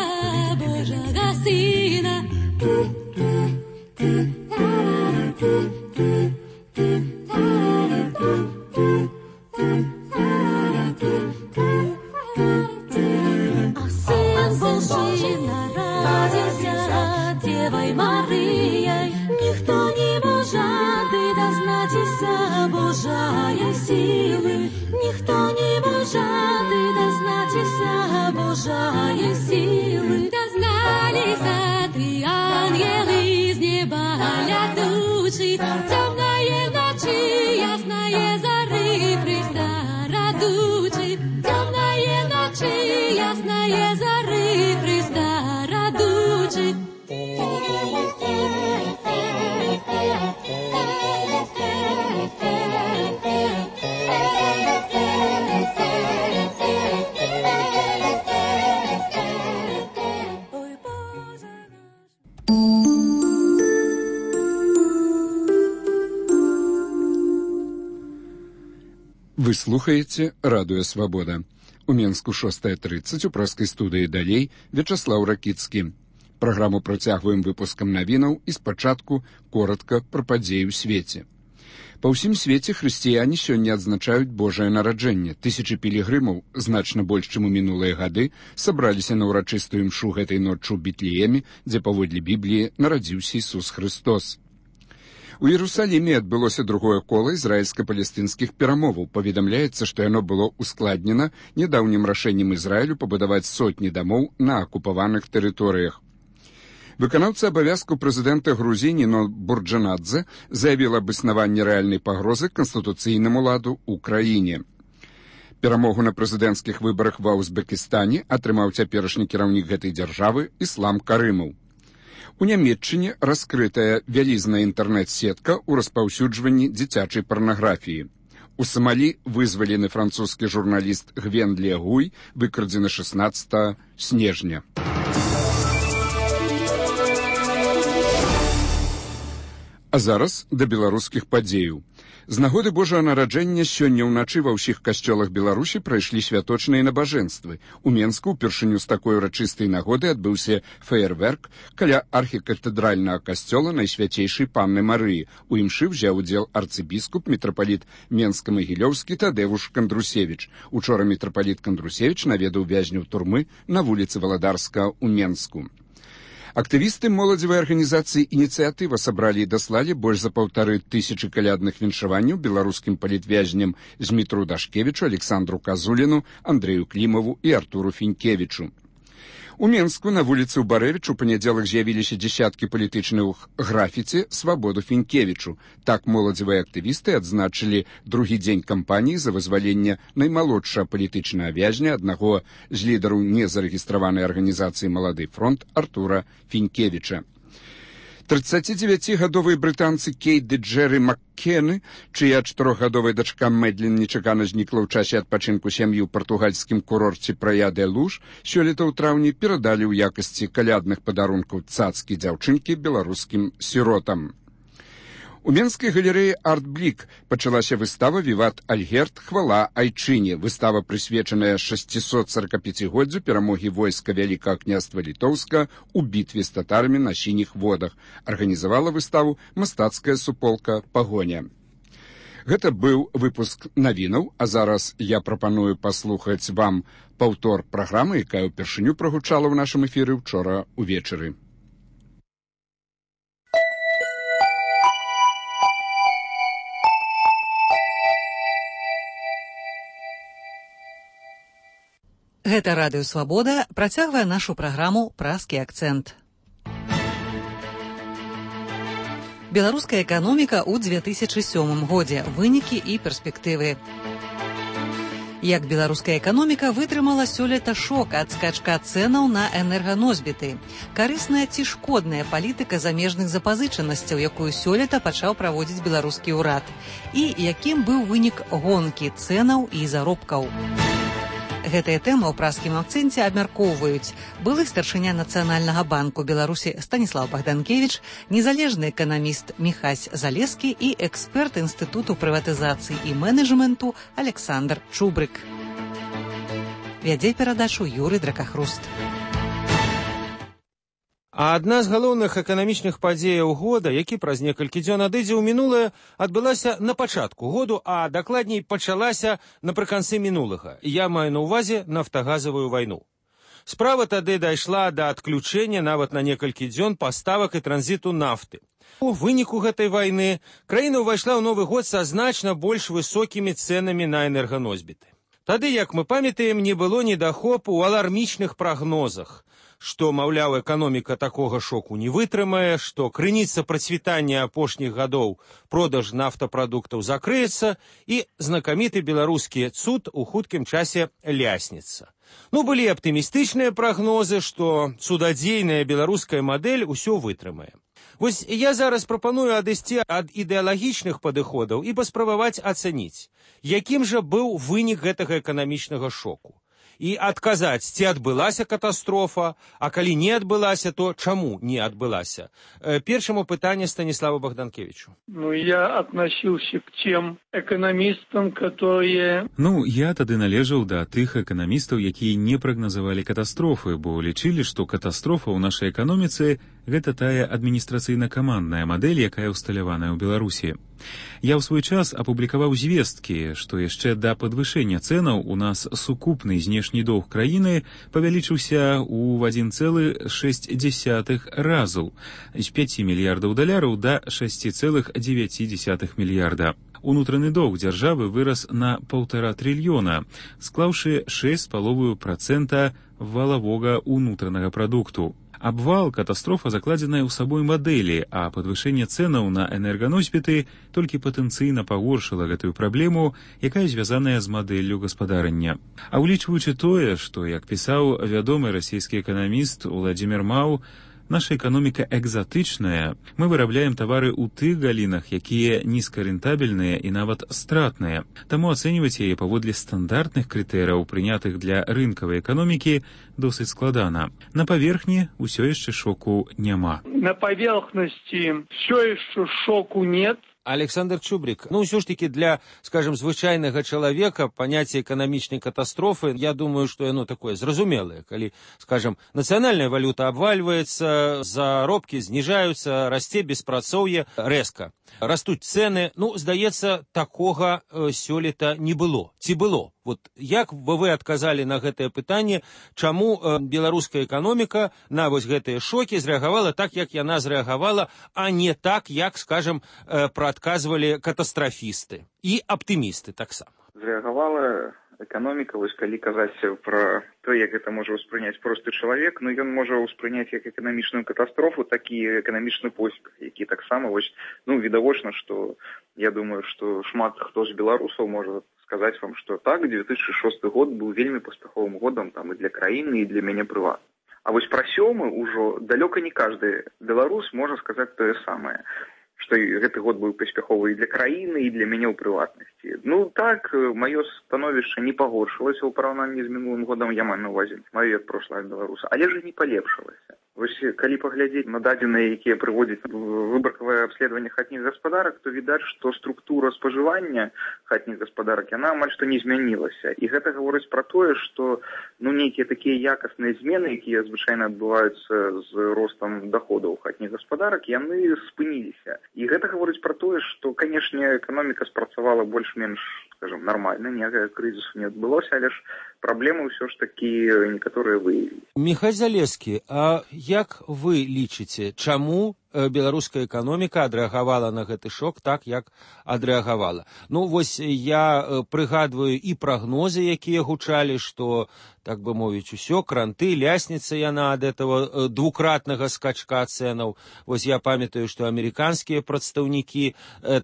Божага сына. А сын Божий народился Девой Марией, никто не может дознатися Божая силы, никто не может дознатися Божая силы. Дознались три ангелы из неба летучие, темные ночи, ясные зары Христа радучи, темные ночи, ясные зары. пляжи. Вы слухаеце радыё Свабода. У Менску шостая тридцать, у праскай студыі далей Вячаслаў Ракіцкі. Праграму працягваем выпускам навінаў і спачатку коротка пра падзеі ў свеце. Па ўсім свеце хрысціяне сёння адзначаюць Божае нараджэнне. Тысячы пілігрымаў, значна больш, чым у мінулыя гады, сабраліся на ўрачыстую імшу гэтай ноччу ў Бетлееме, дзе паводле Бібліі нарадзіўся Ісус Хрыстос. У Іерусаліме адбылося другое кола ізраільска-палестынскіх перамоваў. Паведамляецца, што яно было ускладнена нядаўнім рашэннем Ізраілю пабудаваць сотні дамоў на акупаваных тэрыторыях. Выканаўца абавязку прэзідэнта Грузіі Ніно Бурджанадзе заявіла аб існаванні рэальнай пагрозы канстытуцыйнаму ладу ў краіне. Перамогу на прэзідэнцкіх выбарах ва Узбекістане атрымаў цяперашні кіраўнік гэтай дзяржавы Іслам Карымаў. У Нямецчыне раскрытая вялізная інтэрнэт-сетка ў распаўсюджванні дзіцячай парнаграфіі. У Самалі вызвалены французскі журналіст Гвен Легуй, выкрадзены шаснаццатага снежня. А зараз да беларускіх падзеяў. З нагоды Божага нараджэння сёння ўначы ва ўсіх касцёлах Беларусі прайшлі святочныя набажэнствы. У Менску ўпершыню з такой урачыстай нагоды адбыўся феерверк каля архікатэдральнага касцёла Найсвяцейшай Панны Марыі. У імшы ўзяў удзел арцыбіскуп мітрапаліт Менска-Магілёўскі Тадевуш Кандрусевіч. Учора мітрапаліт Кандрусевіч наведаў вязняў турмы на вуліцы Валадарска ў Менску. Актывісты моладзевай арганізацыі «Ініцыятыва» сабралі і даслалі больш за паўтары тысячы калядных віншаванняў беларускім палітвязням Змітру Дашкевічу, Александру Казуліну, Андрэю Клімаву і Артуру Фінкевічу. У Менску на вуліцы ў Барэвіч у панядзелак з'явіліся дзесяткі палітычных графіці «Свабоду Фінкевічу». Так моладзевыя актывісты адзначылі другі дзень кампаніі за вызваленне наймалодшага палітычнага вязня, аднаго з лідараў незарэгістраванай арганізацыі «Малады фронт» Артура Фінкевіча. трыццацідзевяцігадовыя брытанцы Кейт ды Джерry Маккены, чыя чатырохгадовая дачка Мэдлін нечакана знікла ў часе адпачынку сям'і ў партугальскім курорце Прая-де-Луж, сёлета ў траўні перадалі ў якасці калядных падарункаў цацкі дзяўчынкі беларускім сіротам. У Менскай галерэі «Арт-Блік» пачалася выстава «Віват Альгерд. Хвала Айчыне». Выстава, прысвечаная шасцісот соракапяцігоддзю перамогі войска Вялікага княства Літоўска ў бітве з татарамі на сініх водах. Арганізавала выставу мастацкая суполка «Пагоня». Гэта быў выпуск навінаў, а зараз я прапаную паслухаць вам паўтор праграмы, якая ўпершыню прагучала ў нашым эфіры ўчора ўвечары. Гэта радыё Свабода працягвае нашу праграму «Праскі акцэнт». Беларуская эканоміка ў дзве тысячы сёмым годзе. Вынікі і перспектывы. Як беларуская эканоміка вытрымала сёлета шок ад скачка цэнаў на энерганосьбіты? Карысная ці шкодная палітыка замежных запазычанасцяў, якую сёлета пачаў праводзіць беларускі ўрад? І якім быў вынік гонкі цэнаў і заробкаў? Гэтая тэма ў праскім акцэнце абмяркоўваюць былы старшыня Нацыянальнага банку Беларусі Станіслаў Богданкевіч, незалежны эканаміст Міхась Залескі і эксперт Інстытуту прыватызацыі і менеджменту Александр Чубрык. Вядзе перадачу Юрый Дракахруст. А адна з галоўных эканамічных падзеяў года, які праз некалькі дзён адыдзе ў мінулае, адбылася на пачатку году, а дакладней пачалася напрыканцы мінулага. Я маю на ўвазе нафтагазавую вайну. Справа тады дайшла да адключэння нават на некалькі дзён паставак і транзіту нафты. У выніку гэтай вайны краіна ўвайшла ў новы год са значна больш высокімі цэнамі на энерганосьбіты. Тады, як мы памятаем, не было недахопу ў алармічных прагнозах, што, маўляў, эканоміка такога шоку не вытрымае, што крыніца працвітання апошніх гадоў продаж нафтапрадуктаў закрыецца і знакаміты беларускі цуд у хуткім часе лясніцца. Ну, былі аптымістычныя прагнозы, што цудадзейная беларуская мадэль усё вытрымае. Вось я зараз прапаную адысці ад ідэалагічных падыходаў і паспрабаваць ацаніць, якім жа быў вынік гэтага эканамічнага шоку. І адказаць, ці адбылася катастрофа, а калі не адбылася, то чаму не адбылася? Першаму пытанне Станиславу Богданкевичу. Ну, я относился к тем экономистам, которые... Ну, я тады належаў да тых эканамістаў, якія не прагназавалі катастрофы, бо лічылі, што катастрофа ў нашай эканоміцы гэта тая адміністрацыйна-камандная мадэль, якая ўсталяваная ў Беларусі. Я ў свой час апублікаваў звесткі, што яшчэ да падвышэння цэнаў у нас сукупны знешні доўг краіны павялічыўся ў адзін цэлых шэсць дзесятых разу з пяці мільярдаў даляраў да шасці цэлых дзевяці дзесятых мільярда. Унутраны доўг дзяржавы вырас на паўтара трыльёна, склаўшы шэсць з паловаю працэнта валавога ўнутранага прадукту. Абвал катастрофа закладзеная ў сабой мадэлі, а падвышэнне цэнаў на энерганосьбіты толькі патэнцыйна пагоршыла гэтую праблему, якая звязаная з мадэллю гаспадарання. А ўлічваючы тое, што, як пісаў вядомы расійскі эканаміст Уладзімір Маў, наша эканоміка экзатычная, мы вырабляем тавары ў тых галінах, якія нізкарэнтабельныя і нават стратныя. Таму ацэньваць яе паводле стандартных крытэрыяў, прынятых для рынкавай эканомікі, досыць складана. На паверхні ўсё яшчэ шоку няма. На поверхности все еще шоку нет. Александр Чубрик, ну, ўсё ж таки для, скажем, звычайнага чалавека паняцце эканамічнай катастрофы, я думаю, што яно такое зразумелае, калі, скажем, нацыянальная валюта абвальваецца, заробкі зніжаюцца, расце беспрацоўе рэзка. Растуць цэны, ну, здаецца, такога э, сёлета не было. Ці было? Вот як бы вы адказалі на гэтае пытанне, чаму э, беларуская эканоміка на вось гэтыя шокі зрэагавала так, як яна зрэагавала, а не так, як, скажем, э, прадказвалі катастрафісты і аптымісты таксама? Зрэагавала эканоміка, вось калі казаць пра то, як гэта можа ўспрыняць просты чалавек, ну ён можа ўспрыняць як эканамічную катастрофу, так і эканамічны поспех, які таксама вось, ну, відавочна, што я думаю, што шмат хто з беларусаў можа сказаць вам, што так, две тысячи шосты год быў вельмі паспяховым годам там і для краіны, і для мяне прыватна. А вось пра сёмы ўжо далёка не кажды беларус можа сказаць тое самае, што гэты год быў паспяховы і для краіны, і для мяне ў прыватнасці. Ну так, маё становішча не пагоршылася ў параўнанні з мінулым годам, я маю на ўвазе маё як прошлага беларуса, але ж і не палепшылася. Вось калі паглядзець на дадзеныя, якія прыводзяць выбаркавае абследаванне хатніх гаспадарак, то відаць, што структура спажывання хатніх гаспадарак, яна амаль што не змянілася. І гэта гаворыць пра тое, што ну, нейкія такія якасныя змены, якія звычайна адбываюцца з ростам даходаў хатніх гаспадарак, яны спыніліся. І гэта гаворыць пра тое, што, канешне, эканоміка спрацавала больш-менш, скажем, нармальна, ніякага крызісу не адбылося, але ж праблемы ўсё ж такі некаторыя выявілі. Міхай Залескі, а як вы лічыце, чаму беларуская эканоміка адрэагавала на гэты шок так, як адрэагавала? Ну, вось я прыгадваю і прагнозы, якія гучалі, што, так бы мовіць, усё, кранты, лясніца яна ад этого двукратнага скачка цэнаў. Вось я памятаю, што амерыканскія прадстаўнікі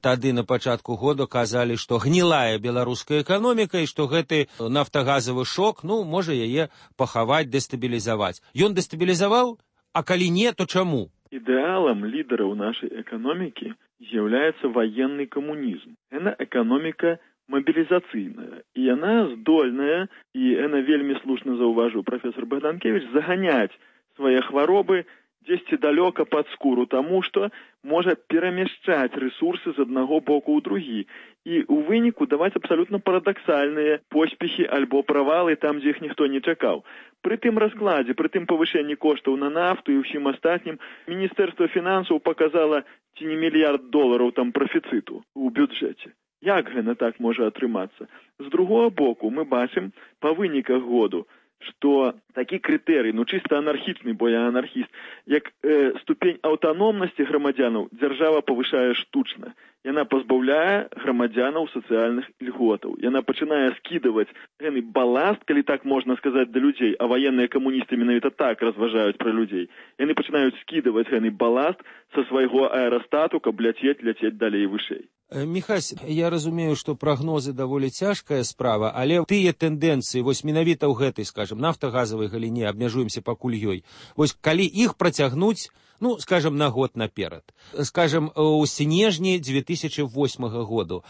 тады на пачатку года казалі, што гнілая беларуская эканоміка і што гэты нафтагазавы шок, ну, можа яе пахаваць, дэстабілізаваць. Ён дэстабілізаваў? А калі не, то чаму? Ідэалам лідараў нашай эканомікі з'яўляецца ваенны камунізм. Яна эканоміка мобілізацыйная. І яна здольная, і яна вельмі слушна заўважыў прафесор Богданкевич, заганяць свае хваробы дзесьці далёка пад скуру, таму што можа перамяшчаць рэсурсы з аднаго боку ў другі і ў выніку даваць абсалютна парадаксальныя поспехі альбо правалы там, дзе іх ніхто не чакаў. Пры тым раскладзе, пры тым павышэнні коштаў на нафту і ўсім астатнім, Міністэрства фінансаў паказала ці не мільярд долараў там прафіцыту ў бюджэце. Як гэта так можа атрымацца? З другога боку, мы бачым па выніках году, што такі крытэрый, ну чыста анархічны, бо я анархіст, як э, ступень аўтаномнасці грамадзянаў дзяржава павышае штучна. яна пазбаўляе грамадзянаў сацыяльных льготаў. Яна пачынае скідаваць гэны баласт, калі так можна сказаць, да людзей, а ваенныя камуністы менавіта так разважаюць пра людзей. Яны пачынаюць скідаваць гэны баласт са свайго аэрастату, каб ляцець, ляцець далей вышэй. Міхась, я разумею, што прагнозы даволі цяжкая справа, але тыя тэндэнцыі, вось менавіта ў гэтай, скажем, нафтагазавай галіне, абмяжуемся пакуль ёй, вось калі іх працягнуць, ну, скажем, на год наперад, скажем, у снежні две тысячи восьмага году,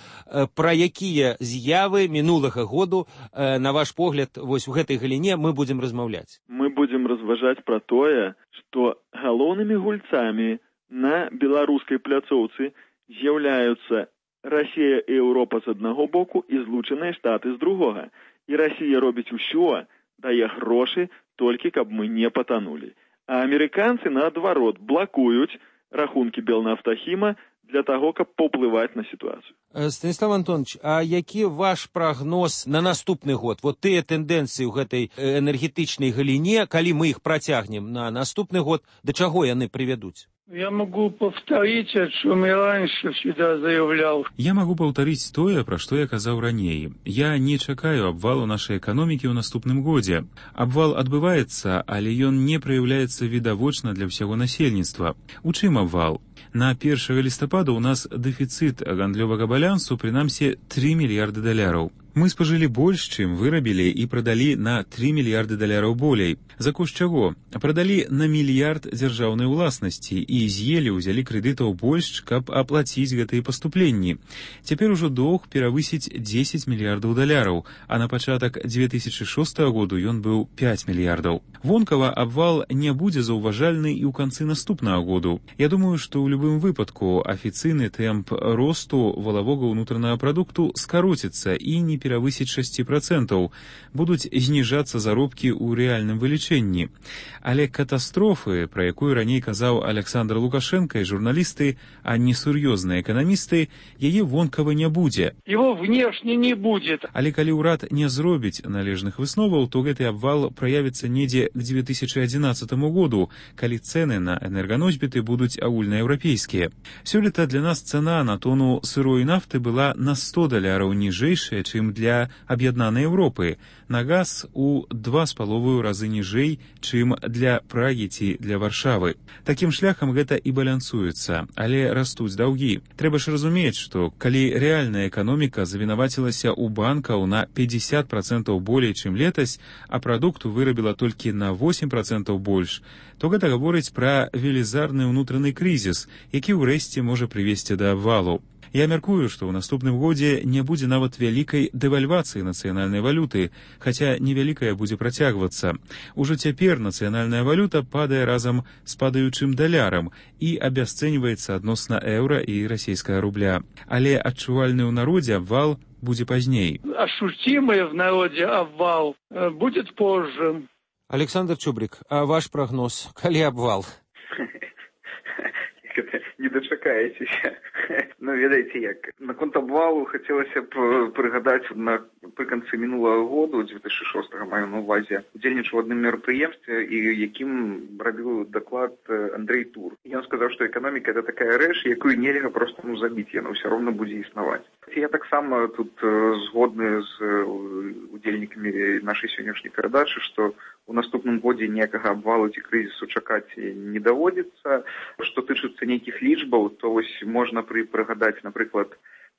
пра якія з'явы мінулага году, на ваш погляд, вось у гэтай галіне мы будзем размаўляць? Мы будзем разважаць пра тое, што галоўнымі гульцамі на беларускай пляцоўцы з'яўляюцца Расія і Еўропа з аднаго боку і Злучаныя Штаты з другога. І Расія робіць усё, дае грошы, толькі каб мы не патанулі. А амерыканцы, наадварот, блакуюць рахункі Белнафтахіма для таго, каб паўплываць на сітуацыю. Станіслав Антонович, а які ваш прагноз на наступны год? Вот тыя тэндэнцыі ў гэтай энергетычнай галіне, калі мы іх працягнем на наступны год, да чаго яны прывядуць? Я могу повторить, о чем я раньше всегда заявлял. Я могу повторить тое, пра што я казаў раней. Я не чакаю абвалу нашай эканомікі ў наступным годзе. Абвал адбываецца, але ён не праяўляецца відавочна для ўсяго насельніцтва. У чым абвал? На першага лістапада ў нас дэфіцыт гандлёвага балансу, прынамсі, тры мільярды даляраў. Мы спажылі больш, чым вырабілі і прадалі на тры мільярды даляраў болей. За кошт чаго? Прадалі на мільярд дзяржаўнай уласнасці і з'елі, узялі крэдытаў больш, каб аплаціць гэтыя паступленні. Цяпер ужо доўг перавысіць дзесяць мільярдаў даляраў, а на пачатак две тысячи шостага году ён быў пяць мільярдаў. Вонкава абвал не будзе заўважальны і ў канцы наступнага году. Я думаю, што ў любым выпадку афіцыйны тэмп росту валавога ўнутранага прадукту скароціцца і не перавысіць шэсць працэнтаў, будуць зніжацца заробкі ў рэальным вылічэнні. Але катастрофы, пра якую раней казаў Александр Лукашенко і журналісты, а не сур'ёзныя эканамісты, яе вонкава не будзе. Его внешне не будет. Але калі ўрад не зробіць належных высноваў, то гэты абвал праявіцца недзе к две тысячи одиннадцатому году, калі цэны на энерганосьбіты будуць агульнаеўрапейскія. Сёлета для нас цана на тону сырой нафты была на сто даляраў ніжэйшая, чым для аб'яднанай Еўропы, на газ у два з паловаю разы ніжэй, чым для Прагі ці для Варшавы. Такім шляхам гэта і балансуецца, але растуць даўгі. Трэба ж разумець, што калі рэальная эканоміка завінавацілася ў банкаў на пятьдесят процентов болей, чым летась, а прадукту вырабіла толькі на восемь процентов больш, то гэта гаворыць пра велізарны ўнутраны крызіс, які ўрэшце можа прывесці да абвалу. Я мяркую, што ў наступным годзе не будзе нават вялікай дэвальвацыі нацыянальнай валюты, хаця невялікая будзе працягвацца. Ужо цяпер нацыянальная валюта падае разам з падаючым далярам і абясцэньваецца адносна еўра і расійскага рубля. Але адчувальны ў народзе абвал будзе пазней. Ощутимый в народе обвал будет позже. Александр Чубрик, а ваш прогноз? Калі абвал? Не дачакаецеся. Ну, ведаеце як. Наконт абвалу хацелася б прыгадаць напрыканцы мінулага году, две тысячи шостага маю на увазе, удзельнічаў у адным мерапрыемстве, і якім рабіў даклад Андрей Тур. Ён сказаў, што эканоміка это такая рэч, якую нельга проста ну, забіць, яна ўсё роўна будзе існаваць. Я таксама тут згодны з удзельнікамі нашай сённяшняй перадачы, што у наступным годзе ніякага абвалу ці крызісу чакаць не даводзіцца. Што тычыцца нейкіх лічбаў, то вось можна пры прыгадаць, напрыклад,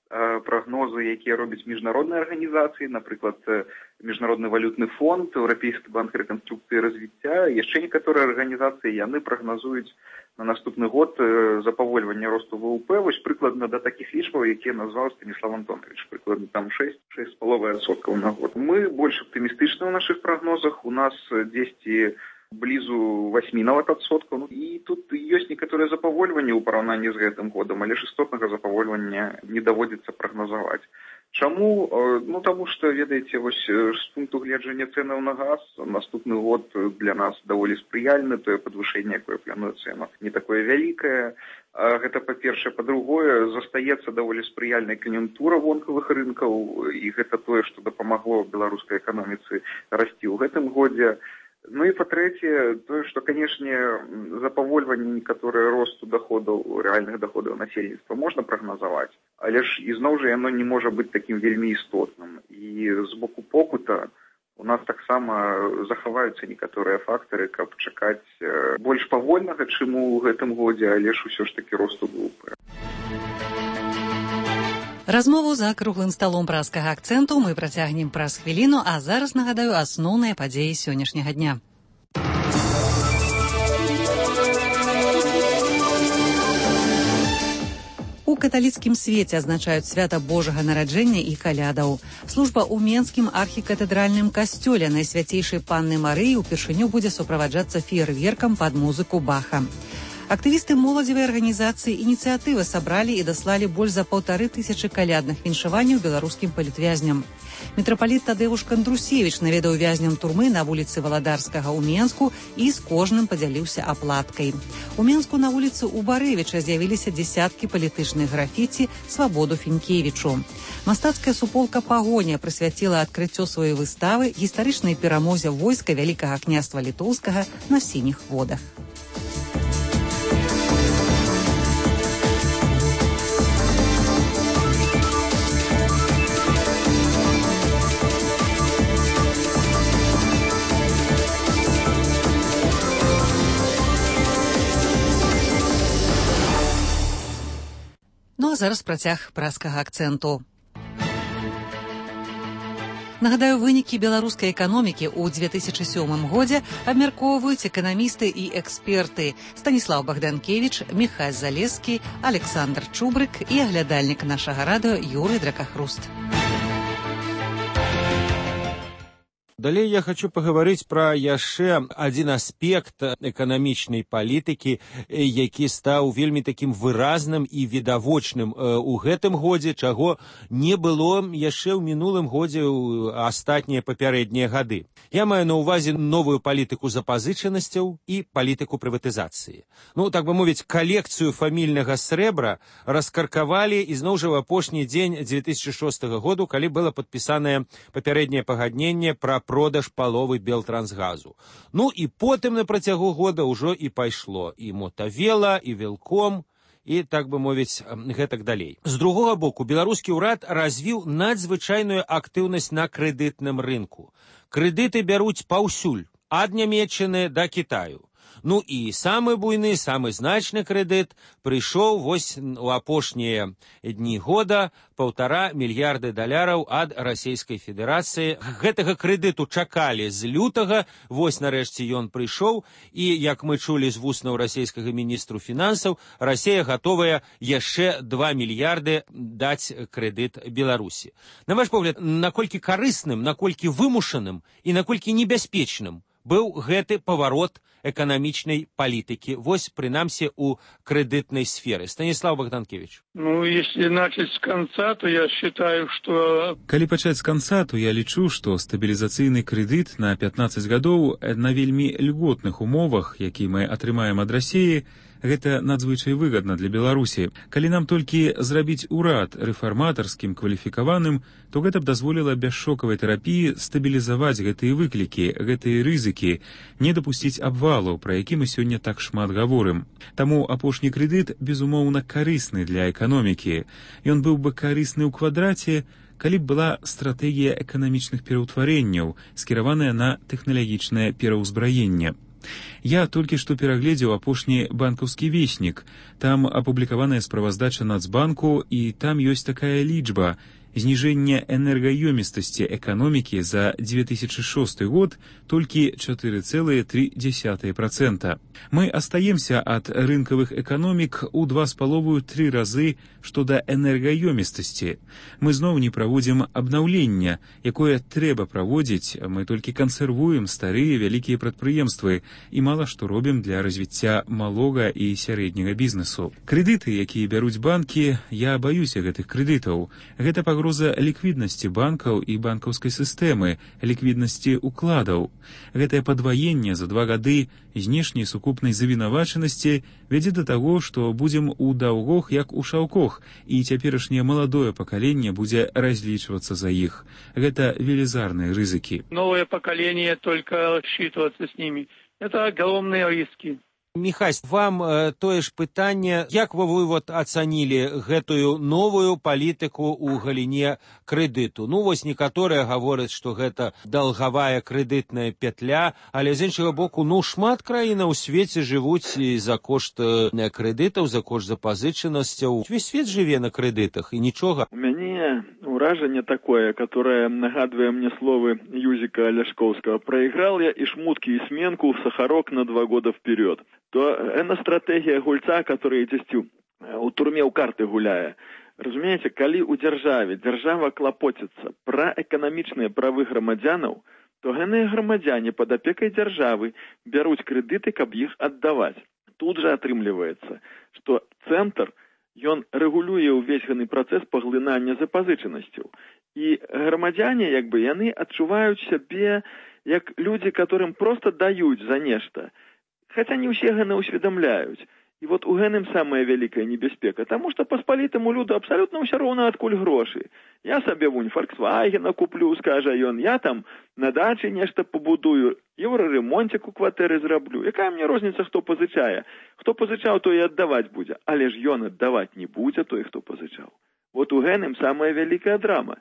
прагнозы, якія робяць міжнародныя арганізацыі, напрыклад, Міжнародны валютны фонд, Еўрапейскі банк рэканструкцыі і развіцця, яшчэ некаторыя арганізацыі, яны прагназуюць на наступны год запавольванне росту ВВП, вось прыкладна да такіх лічбаў, якія назваў Станіслав Антонович, прыкладна там шэсць - шэсць з паловай адсоткаў на год. Мы больш аптымістычны ў нашых прагнозах, у нас дзесьці блізу восьмі нават адсоткаў. Ну, і тут ёсць некаторыя запавольванні ў параўнанні з гэтым годам, але ж істотнага запавольвання не даводзіцца прагназаваць. Чаму? Ну, таму што, ведаеце, вось з пункту гледжання цэнаў на газ наступны год для нас даволі спрыяльны, тое падвышэнне, якое плануецца, яно не такое вялікае. Гэта па-першае, па-другое, застаецца даволі спрыяльная кан'юнктура вонкавых рынкаў, і гэта тое, што дапамагло беларускай эканоміцы расці ў гэтым годзе. Ну і па-трэцяе, тое, што, канешне, запавольванне некаторыя росту доходаў, рэальных доходаў насельніцтва можна прагназаваць, але ж ізноў жа яно не можа быць такім вельмі істотным. І з боку попыта у нас таксама захаваюцца некаторыя фактары, каб чакаць больш павольнага, чым у гэтым годзе, але ж усё ж такі росту групы. Размову за круглым сталом праскага акцэнту мы працягнем праз хвіліну, а зараз нагадаю асноўныя падзеі сённяшняга дня. У каталіцкім свеце адзначаюць свята Божага нараджэння і калядаў. Служба ў Менскім архікатэдральным касцёле Найсвяцейшай Панны Марыі ўпершыню будзе суправаджацца феерверкам пад музыку Баха. Актывісты моладзевай арганізацыі «Ініцыятыва» сабралі і даслалі больш за паўтары тысячы калядных віншаванняў беларускім палітвязням. Мітрапаліт Тадэвуш Кандрусевіч наведаў вязням турмы на вуліцы Валадарскага ў Менску і з кожным падзяліўся аплаткай. У Менску на вуліцы Убарэвіча з'явіліся дзесяткі палітычных графіці «Свабоду Фінкевічу». Мастацкая суполка «Пагоня» прысвяціла адкрыццё сваёй выставы гістарычнай перамозе войска Вялікага княства Літоўскага на сініх водах. Ну а зараз працяг праскага акцэнту. Нагадаю, вынікі беларускай эканомікі ў дзве тысячы сёмым годзе абмяркоўваюць эканамісты і эксперты Станіслаў Багданкевіч, Міхась Залескі, Александр Чубрык і аглядальнік нашага радыё Юрый Дракахруст. Далей я хочу паговорыць пра яшчэ адзін аспект эканамічнай палітыкі, які стаў вельмі такім выразным і відавочным у гэтым годзе, чаго не было яшчэ ў мінулым годзе ў астатнія папярэднія гады. Я маю на ўвазе новую палітыку запазычанасцяў і палітыку прыватызацыі. Ну, так бы мовіць, калекцыю фамільнага срэбра раскаркавалі ізноў жа ў апошні дзень дзве тысячы шостага году, калі было падпісанае папярэдняе пагадненне пра продаж паловы Белтрансгазу. Ну і потым на працягу года ўжо і пайшло і Мотавела, і Велком, і, так бы мовіць, гэтак далей. З другога боку, беларускі ўрад развіў надзвычайную актыўнасць на крэдытным рынку. Крэдыты бяруць паўсюль, ад Нямецчыны да Кітаю. Ну і самы буйны, самы значны крэдыт прыйшоў вось у апошнія дні года паўтара мільярды даляраў ад Расійскай Федэрацыі. Гэтага крэдыту чакалі з лютага, вось нарэшце ён прыйшоў, і, як мы чулі з вуснаў расійскага міністру фінансаў, Расія гатовая яшчэ два мільярды даць крэдыт Беларусі. На ваш погляд, наколькі карысным, наколькі вымушаным і наколькі небяспечным быў гэты паварот эканамічнай палітыкі, вось, прынамсі, у крэдытнай сферы. Станіслав Багданкевич. Ну, если начать с конца, то я считаю, что... Калі пачаць з канца, то я лічу, што стабілізацыйны крэдыт на пятнаццаць гадоў на вельмі льготных умовах, які мы атрымаем ад Расіі, гэта надзвычай выгадна для Беларусі. Калі нам толькі зрабіць урад рэфарматарскім, кваліфікаваным, то гэта б дазволіла без шокавай тэрапіі стабілізаваць гэтыя выклікі, гэтыя рызыкі, не дапусціць абвалу, пра які мы сёння так шмат гаворым. Таму апошні крэдыт, безумоўна, карысны для эканомікі. Ён быў бы карысны ў квадраце, калі б была стратэгія эканамічных пераўтварэнняў, скіраваная на тэхналагічнае пераўзбраенне. Я толькі што перагледзеў апошні банкаўскі веснік. Там апублікаваная справаздача Нацбанку, і там ёсць такая лічба. Зніжэнне энергаёмістасці эканомікі за дзве тысячы шосты год толькі чатыры цэлыя тры дзесятых працэнта. Мы астаемся ад рынкавых эканомік у два з паловаю тры разы што да энергаёмістасці. Мы зноў не праводзім абнаўлення, якое трэба праводзіць, мы толькі кансервуем старыя вялікія прадпрыемствы і мала што робім для развіцця малога і сярэдняга бізнесу. Крэдыты, якія бяруць банкі, я баюся гэтых крэдытаў. Гэта пагроза пагроза ліквіднасці банкаў і банкаўскай сістэмы, ліквіднасці укладаў. Гэтае падваенне за два гады знешняй сукупнай завінавачанасці вядзе да таго, што будзем у даўгох, як у шаўкох, і цяперашняе маладое пакаленне будзе разлічвацца за іх. Гэта велізарныя рызыкі. Новое поколение только рассчитываться с ними. Это огромные риски. Міхась, вам э, тое ж пытанне, як вы, вы вот ацанілі гэтую новую палітыку ў галіне крэдыту? Ну, вось некаторыя гавораць, што гэта даўгавая крэдытная пятля, але з іншага боку, ну, шмат краін у свеце жывуць і за кошт э, крэдытаў, за кошт запазычанасцяў. Увесь свет жыве на крэдытах, і нічога. У мяне ўражанне такое, которое нагадвае мне словы Юзіка Аляшкоўскага. Проиграл я и шмутки, и сменку в Сахарок на два года вперед. То эна стратегія гульца, который дзесьці у турме ў карты гуляе. Разумееце, калі ў дзяржаве дзяржава клапоціцца пра эканамічныя правы грамадзянаў, то гэныя грамадзяне пад апекай дзяржавы бяруць крэдыты, каб іх аддаваць. Тут жа атрымліваецца, што цэнтр, ён рэгулюе ўвесь гэны працэс паглынання запазычанасцяў. І грамадзяне, як бы, яны адчуваюць сябе як людзі, которым проста даюць за нешта. Хотя не ўсе гэна ўсведамляюць. І вот у гэным самая вялікая небяспека, таму што паспалітаму люду абсалютна ўсё роўна адкуль грошы. Я сабе вунь Фольксвагена куплю, скажа ён, я там на дачы нешта пабудую, еўраремонцік у кватэры зраблю. Якая мне розніца, хто пазычае? Хто пазычаў, то і аддаваць будзе. Але ж ён аддаваць не будзе той, хто пазычаў. Вот у гэным самая вялікая драма.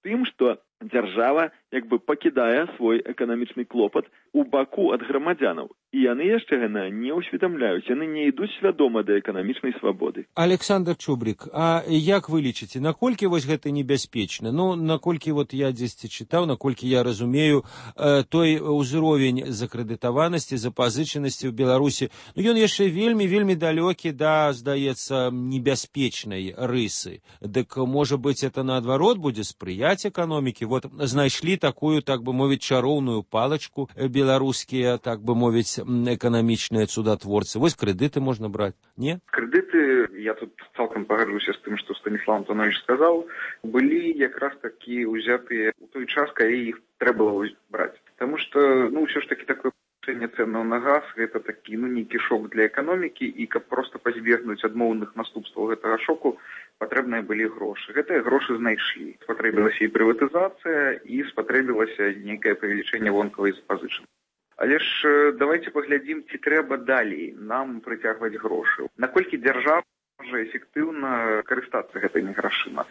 Тым, што дзяржава як бы пакідае свой эканамічны клопат у баку ад грамадзянаў. І яны яшчэ гэна не ўсведамляюць, яны не ідуць свядома да эканамічнай свабоды. Александр Чубрик, а як вы лічыце, наколькі вось гэта небяспечна? Ну, наколькі вот я дзесьці чытаў, наколькі я разумею, э, той узровень закрэдытаванасці, запазычанасці ў Беларусі, ну, ён яшчэ вельмі, вельмі далёкі да, здаецца, небяспечнай рысы. Дык, можа быць, это наадварот будзе спрыяць эканомікі? Вот знайшлі такую, так бы мовіць, чароўную палачку беларускія, так бы мовіць, эканамічныя цудатворцы. Вось крэдыты можна браць, не? Крэдыты, я тут цалкам пагаджуся з тым, што Станіслав Антонович сказаў, былі якраз такі ўзятыя ў той час, калі іх трэба было браць. Таму што, ну, ўсё ж такі такое павышэнне цэнаў на газ, гэта такі, ну, нейкі шок для эканомікі, і каб проста пазбегнуць адмоўных наступстваў гэтага шоку, патрэбныя былі грошы. Гэтыя грошы знайшлі. Спатрэбілася і прыватызацыя, і спатрэбілася нейкае павелічэнне вонкавай запазычанасці. Але ж давайте паглядзім, ці трэба далей нам прыцягваць грошы. Наколькі дзяржава можа эфектыўна карыстацца гэтымі грашыма.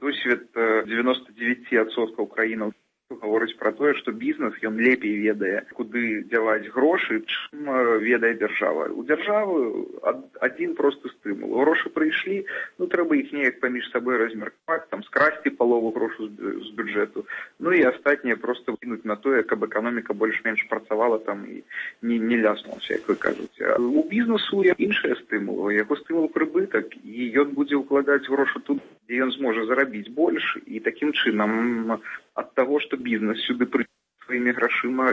Досвед дзевяносто девять адсоткаў краінаў гаворыць пра тое, што бізнес, ён лепей ведае, куды дзяваць грошы, чым ведае дзяржава. У дзяржавы адзін просты стымул. Грошы прыйшлі, ну, трэба іх неяк паміж сабой размеркаваць, там, скрасці палову грошу з бюджэту, ну, і астатняе проста вкінуць на тое, каб эканоміка больш-менш працавала там і не, не ляснулася, як вы кажуце. У бізнесу іншыя стымулы, яго стымул прыбытак, і ён будзе ўкладаць грошы тут, дзе ён зможа зарабіць больш, і такім чынам ад таго, што бізнес сюды прыйдзе сваімі грашыма,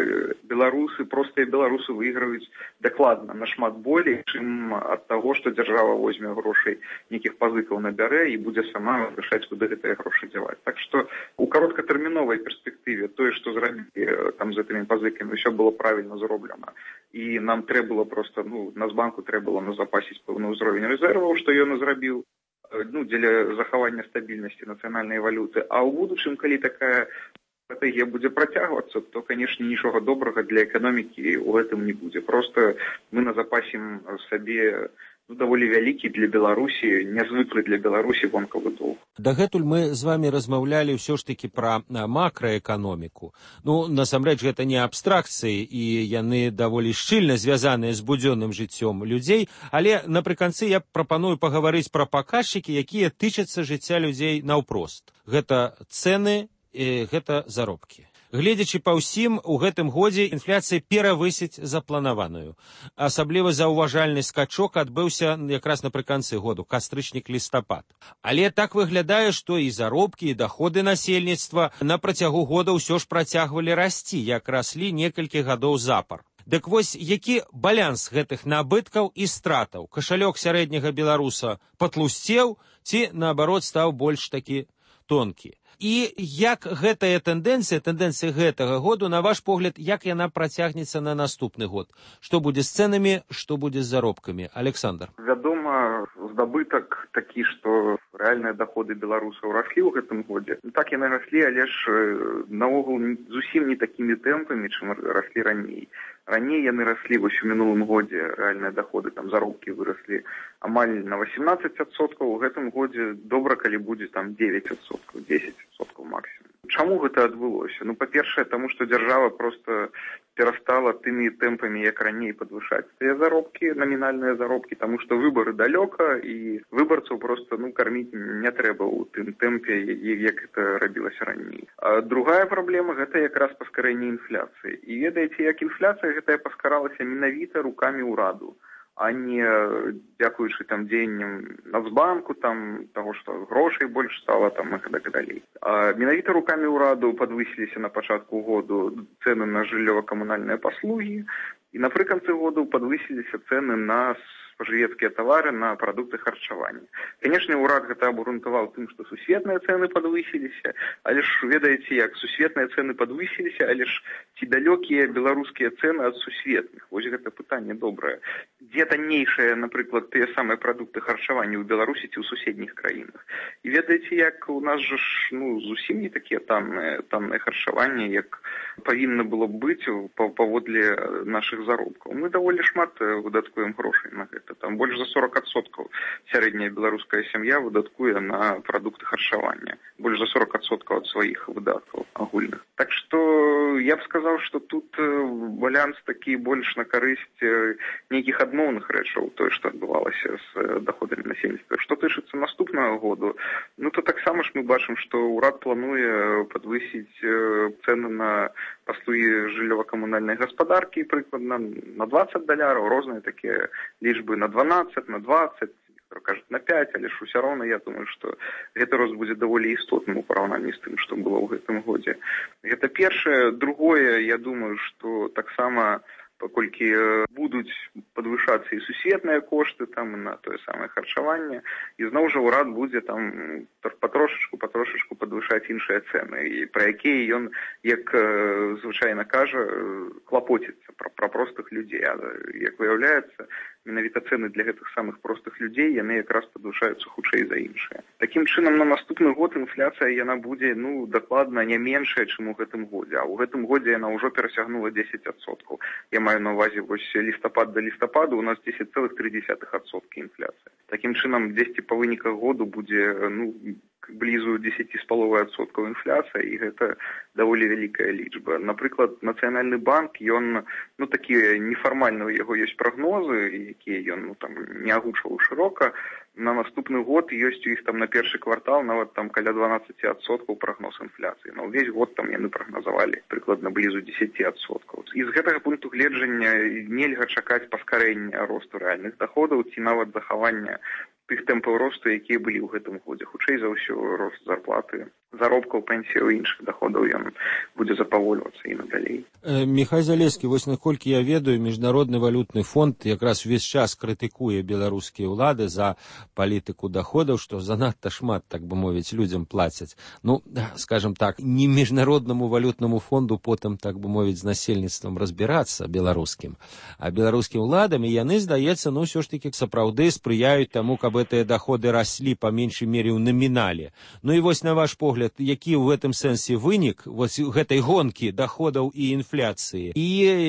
беларусы, простыя беларусы выйграюць дакладна нашмат болей, чым ад таго, што дзяржава возьме грошай, нейкіх пазыкаў набярэ і будзе сама вырашаць, куды гэтыя грошы дзяваць. Так што у кароткатэрміновай перспектыве тое, што зрабілі там з гэтымі пазыкамі, ўсё было правільна зроблена. І нам трэба было проста, ну, Нацбанку трэба было назапасіць пэўны ўзровень рэзерваў, што ён і зрабіў, ну, дзеля захавання стабільнасці нацыянальнай валюты. А ў будучым, калі такая стратегія будзе працягвацца, то, канешне, нічога добрага для эканомікі ў гэтым не будзе. Просто мы назапасім сабе, ну, даволі вялікі для Беларусі, нязвыклы для Беларусі вонкавы доўг. Дагэтуль мы з вами размаўлялі ўсё ж такі пра макраэканоміку. Ну, насамрэч, гэта не абстракцыі, і яны даволі шчыльна звязаныя з будзённым жыццём людзей, але напрыканцы я прапаную пагаварыць пра паказчыкі, якія тычацца жыцця людзей наўпрост. Гэта цэны, і гэта заробкі. Гледзячы па ўсім, у гэтым годзе інфляцыя перавысіць запланаваную. Асабліва заўважальны скачок адбыўся якраз напрыканцы году, кастрычнік-лістапад. Але так выглядае, што і заробкі, і даходы насельніцтва на працягу года ўсё ж працягвалі расці, як раслі некалькі гадоў запар. Дык вось, які баланс гэтых набыткаў і стратаў? Кашалёк сярэдняга беларуса патлусцеў ці, наабарот, стаў больш такі тонкі. І як гэтая тэндэнцыя, тэндэнцыя гэтага году, на ваш погляд, як яна працягнецца на наступны год? Што будзе з цэнамі, што будзе з заробкамі? Александр. Вядома, здабытак такі, што рэальныя даходы беларусаў раслі ў гэтым годзе. Так яны раслі, але ж наогул зусім не такімі тэмпамі, чым раслі раней. Раней яны раслі вось у мінулым годзе, рэальныя даходы, там заробкі выраслі амаль на восемнадцать адсоткаў, у гэтым годзе добра, калі будзе там девять адсоткаў, десять адсоткаў максімум. Чаму гэта адбылося? Ну, па-першае, таму што дзяржава проста перастала тымі тэмпамі, як раней, падвышаць тыя заробкі, намінальныя заробкі, таму што выбары далёка, і выбарцаў проста, ну, карміць не трэба ў тым тэмпе, як гэта рабілася раней. А другая праблема – гэта якраз паскарэнне інфляцыі. І ведаеце, як інфляцыя гэтая паскаралася менавіта рукамі ўраду, а не дзякуючы там дзеянням Нацбанку, там таго, што грошай больш стала, там і так далей. А менавіта рукамі ўраду падвысіліся на пачатку году цэны на жыллёва-камунальныя паслугі, і напрыканцы году падвысіліся цэны на спажывецкія тавары, на прадукты харчавання. Канешне, ўрад гэта абгрунтаваў тым, што сусветныя цэны падвысіліся, але ж ведаеце як, сусветныя цэны падвысіліся, але ж ці далёкія беларускія цэны ад сусветных? Вось гэта пытанне добрае. Дзе таннейшыя, напрыклад, тыя самыя прадукты харчавання ў Беларусі ці ў суседніх краінах? І ведаеце як, у нас жа ж, ну, зусім не такія танныя, танныя харчаванне, як павінна было б быць паводле нашых заробкаў. Мы даволі шмат выдаткуем грошай на гэта. Там больш за сорок адсоткаў сярэдняя беларуская сям'я выдаткуе на прадукты харчавання. Больш за сорок адсоткаў ад сваіх выдаткаў агульных. Так што я б сказаў, што тут баланс такі больш на карысць нейкіх адмоўных рэчаў, тое, што адбывалася з даходамі насельніцтва. Што тычыцца наступнага году, ну то таксама ж мы бачым, што ўрад плануе падвысіць цэны на паслугі жыллёва-камунальнай гаспадаркі прыкладна на двадцать даляраў, розныя такія лічбы на дванаццаць, на двадцать, кажуць на пять, але ж усё роўна, я думаю, што гэты рост будзе даволі істотным у параўнанні з тым, што было ў гэтым годзе. Гэта першае. Другое, я думаю, што таксама паколькі будуць падвышацца і сусветныя кошты там на тое самае харчаванне, і зноў жа ўрад будзе там патрошачку, патрошачку падвышаць іншыя цэны, і пра якія ён, як звычайна кажа, клапоціцца пра, пра простых людзей. А як выяўляецца, менавіта цэны для гэтых самых простых людзей, яны якраз падвышаюцца хутчэй за іншыя. Такім чынам, на наступны год інфляцыя яна будзе, ну, дакладна не меншая, чым у гэтым годзе, а ў гэтым годзе яна ўжо перасягнула десять адсоткаў. Я маю на увазе вось лістапад да лістападу у нас десять цэлых тры дзесятых адсоткі інфляцыя. Такім чынам, дзесьці па выніках году будзе, ну, блізу десять з паловай адсоткаў інфляцыя, і гэта даволі вялікая лічба. Напрыклад, Нацыянальны банк, ён, ну, такія нефармальныя у яго ёсць прагнозы, якія ён, ну, там не агучваў шырока. На наступны год ёсць у іх там на першы квартал нават там каля дванаццаць адсоткаў прагноз інфляцыі. На ўвесь год там яны прагназавалі прыкладна блізу десять адсоткаў. І з гэтага пункту гледжання нельга чакаць паскарэння росту рэальных даходаў ці нават захавання тых тэмпаў росту, якія былі ў гэтым годзе. Хутчэй за ўсё рост зарплаты, заробкаў, пенсіяў і іншых даходаў ён будзе запавольвацца і надалей. Міхай Залескі, вось наколькі я ведаю, Міжнародны валютны фонд якраз увесь час крытыкуе беларускія ўлады за палітыку даходаў, што занадта шмат, так бы мовіць, людзям плацяць. Ну, скажем так, не Міжнароднаму валютнаму фонду потым, так бы мовіць, з насельніцтвам разбірацца беларускім, а беларускім уладам, і яны, здаецца, ну, ўсё ж такі сапраўды спрыяюць таму, каб гэтыя даходы раслі па меншай мере ў намінале. Ну і вось на ваш погляд, які ў гэтым сэнсе вынік вось гэтай гонкі даходаў і інфляцыі, і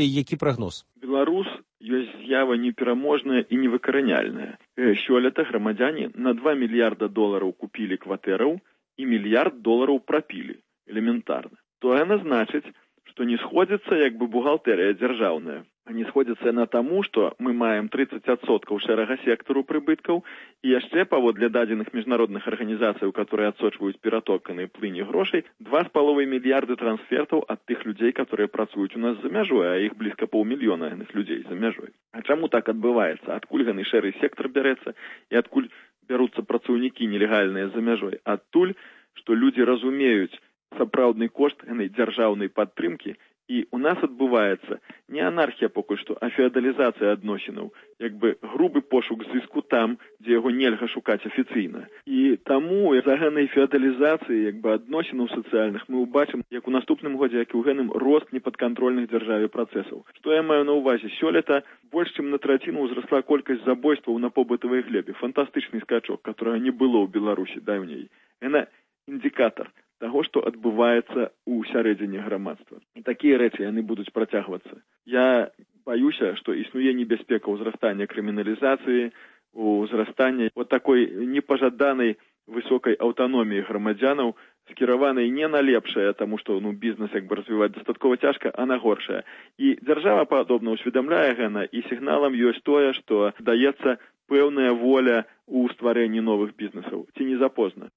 які прагноз? Беларус ёсць з'ява непераможная і невыкараняльная. Сёлета грамадзяне на два мільярда долараў купілі кватэраў і мільярд долараў прапілі. Элементарна. То яна значыць, што не сходзіцца як бы бухгалтэрыя дзяржаўная. А не сходзіцца яна таму, што мы маем тридцать адсоткаў шэрага сектару прыбыткаў і яшчэ паводле дадзеных міжнародных арганізацый, которые адсочваюць ператоканы плыні грошай, два з паловай мільярды трансфертаў ад тых людзей, которые працуюць у нас за мяжой, а іх блізка паўмільёна яных людзей за мяжой. А чаму так адбываецца? Адкуль гэны шэры сектар бярэцца і адкуль бяруцца працаўнікі нелегальныя за мяжой? Адтуль, што людзі разумеюць сапраўдны кошт гэтай дзяржаўнай падтрымкі І у нас адбываецца не анархія пакуль што, а феадалізацыя адносінаў, як бы грубы пошук зыску там, дзе яго нельга шукаць афіцыйна. І таму за гэтай феадалізацыі як бы адносінаў сацыяльных мы ўбачым, як у наступным годзе, як і ў гэным рост непадкантрольных дзяржаве працэсаў. Што я маю на ўвазе? Сёлета больш чым на траціну ўзрасла колькасць забойстваў на побытавай глебе. Фантастычны скачок, которого не было ў Беларусі даўней. Гэта індыкатар таго, што адбываецца ў сярэдзіне грамадства. І такія рэчы яны будуць працягвацца. Я баюся, што існуе небяспека ўзрастання крыміналізацыі, ўзрастання вот такой непажаданай высокай аўтаноміі грамадзянаў, скіраванай не на лепшае, таму што ну, бізнес як бы развіваць дастаткова цяжка, а на горшае. І дзяржава падобна ўсведамляе гэта, і сігналам ёсць тое, што даецца пэўная воля ў стварэнні новых бізнесаў. Ці не запозна?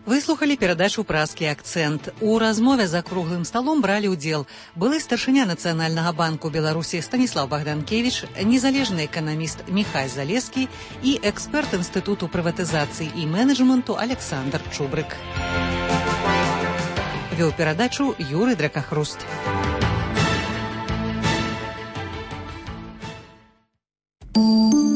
Выслухалі перадачу «Празкі акцэнт». У размове за круглым сталом бралі ўдзел былы старшыня Нацыянальнага банку Беларусі Станіслав Богданкевич, незалежны эканаміст Міхай Залескі і эксперт Інстытуту прыватызацыі і менеджменту Александр Чубрык. Вёў перадачу Юрый Дракахруст.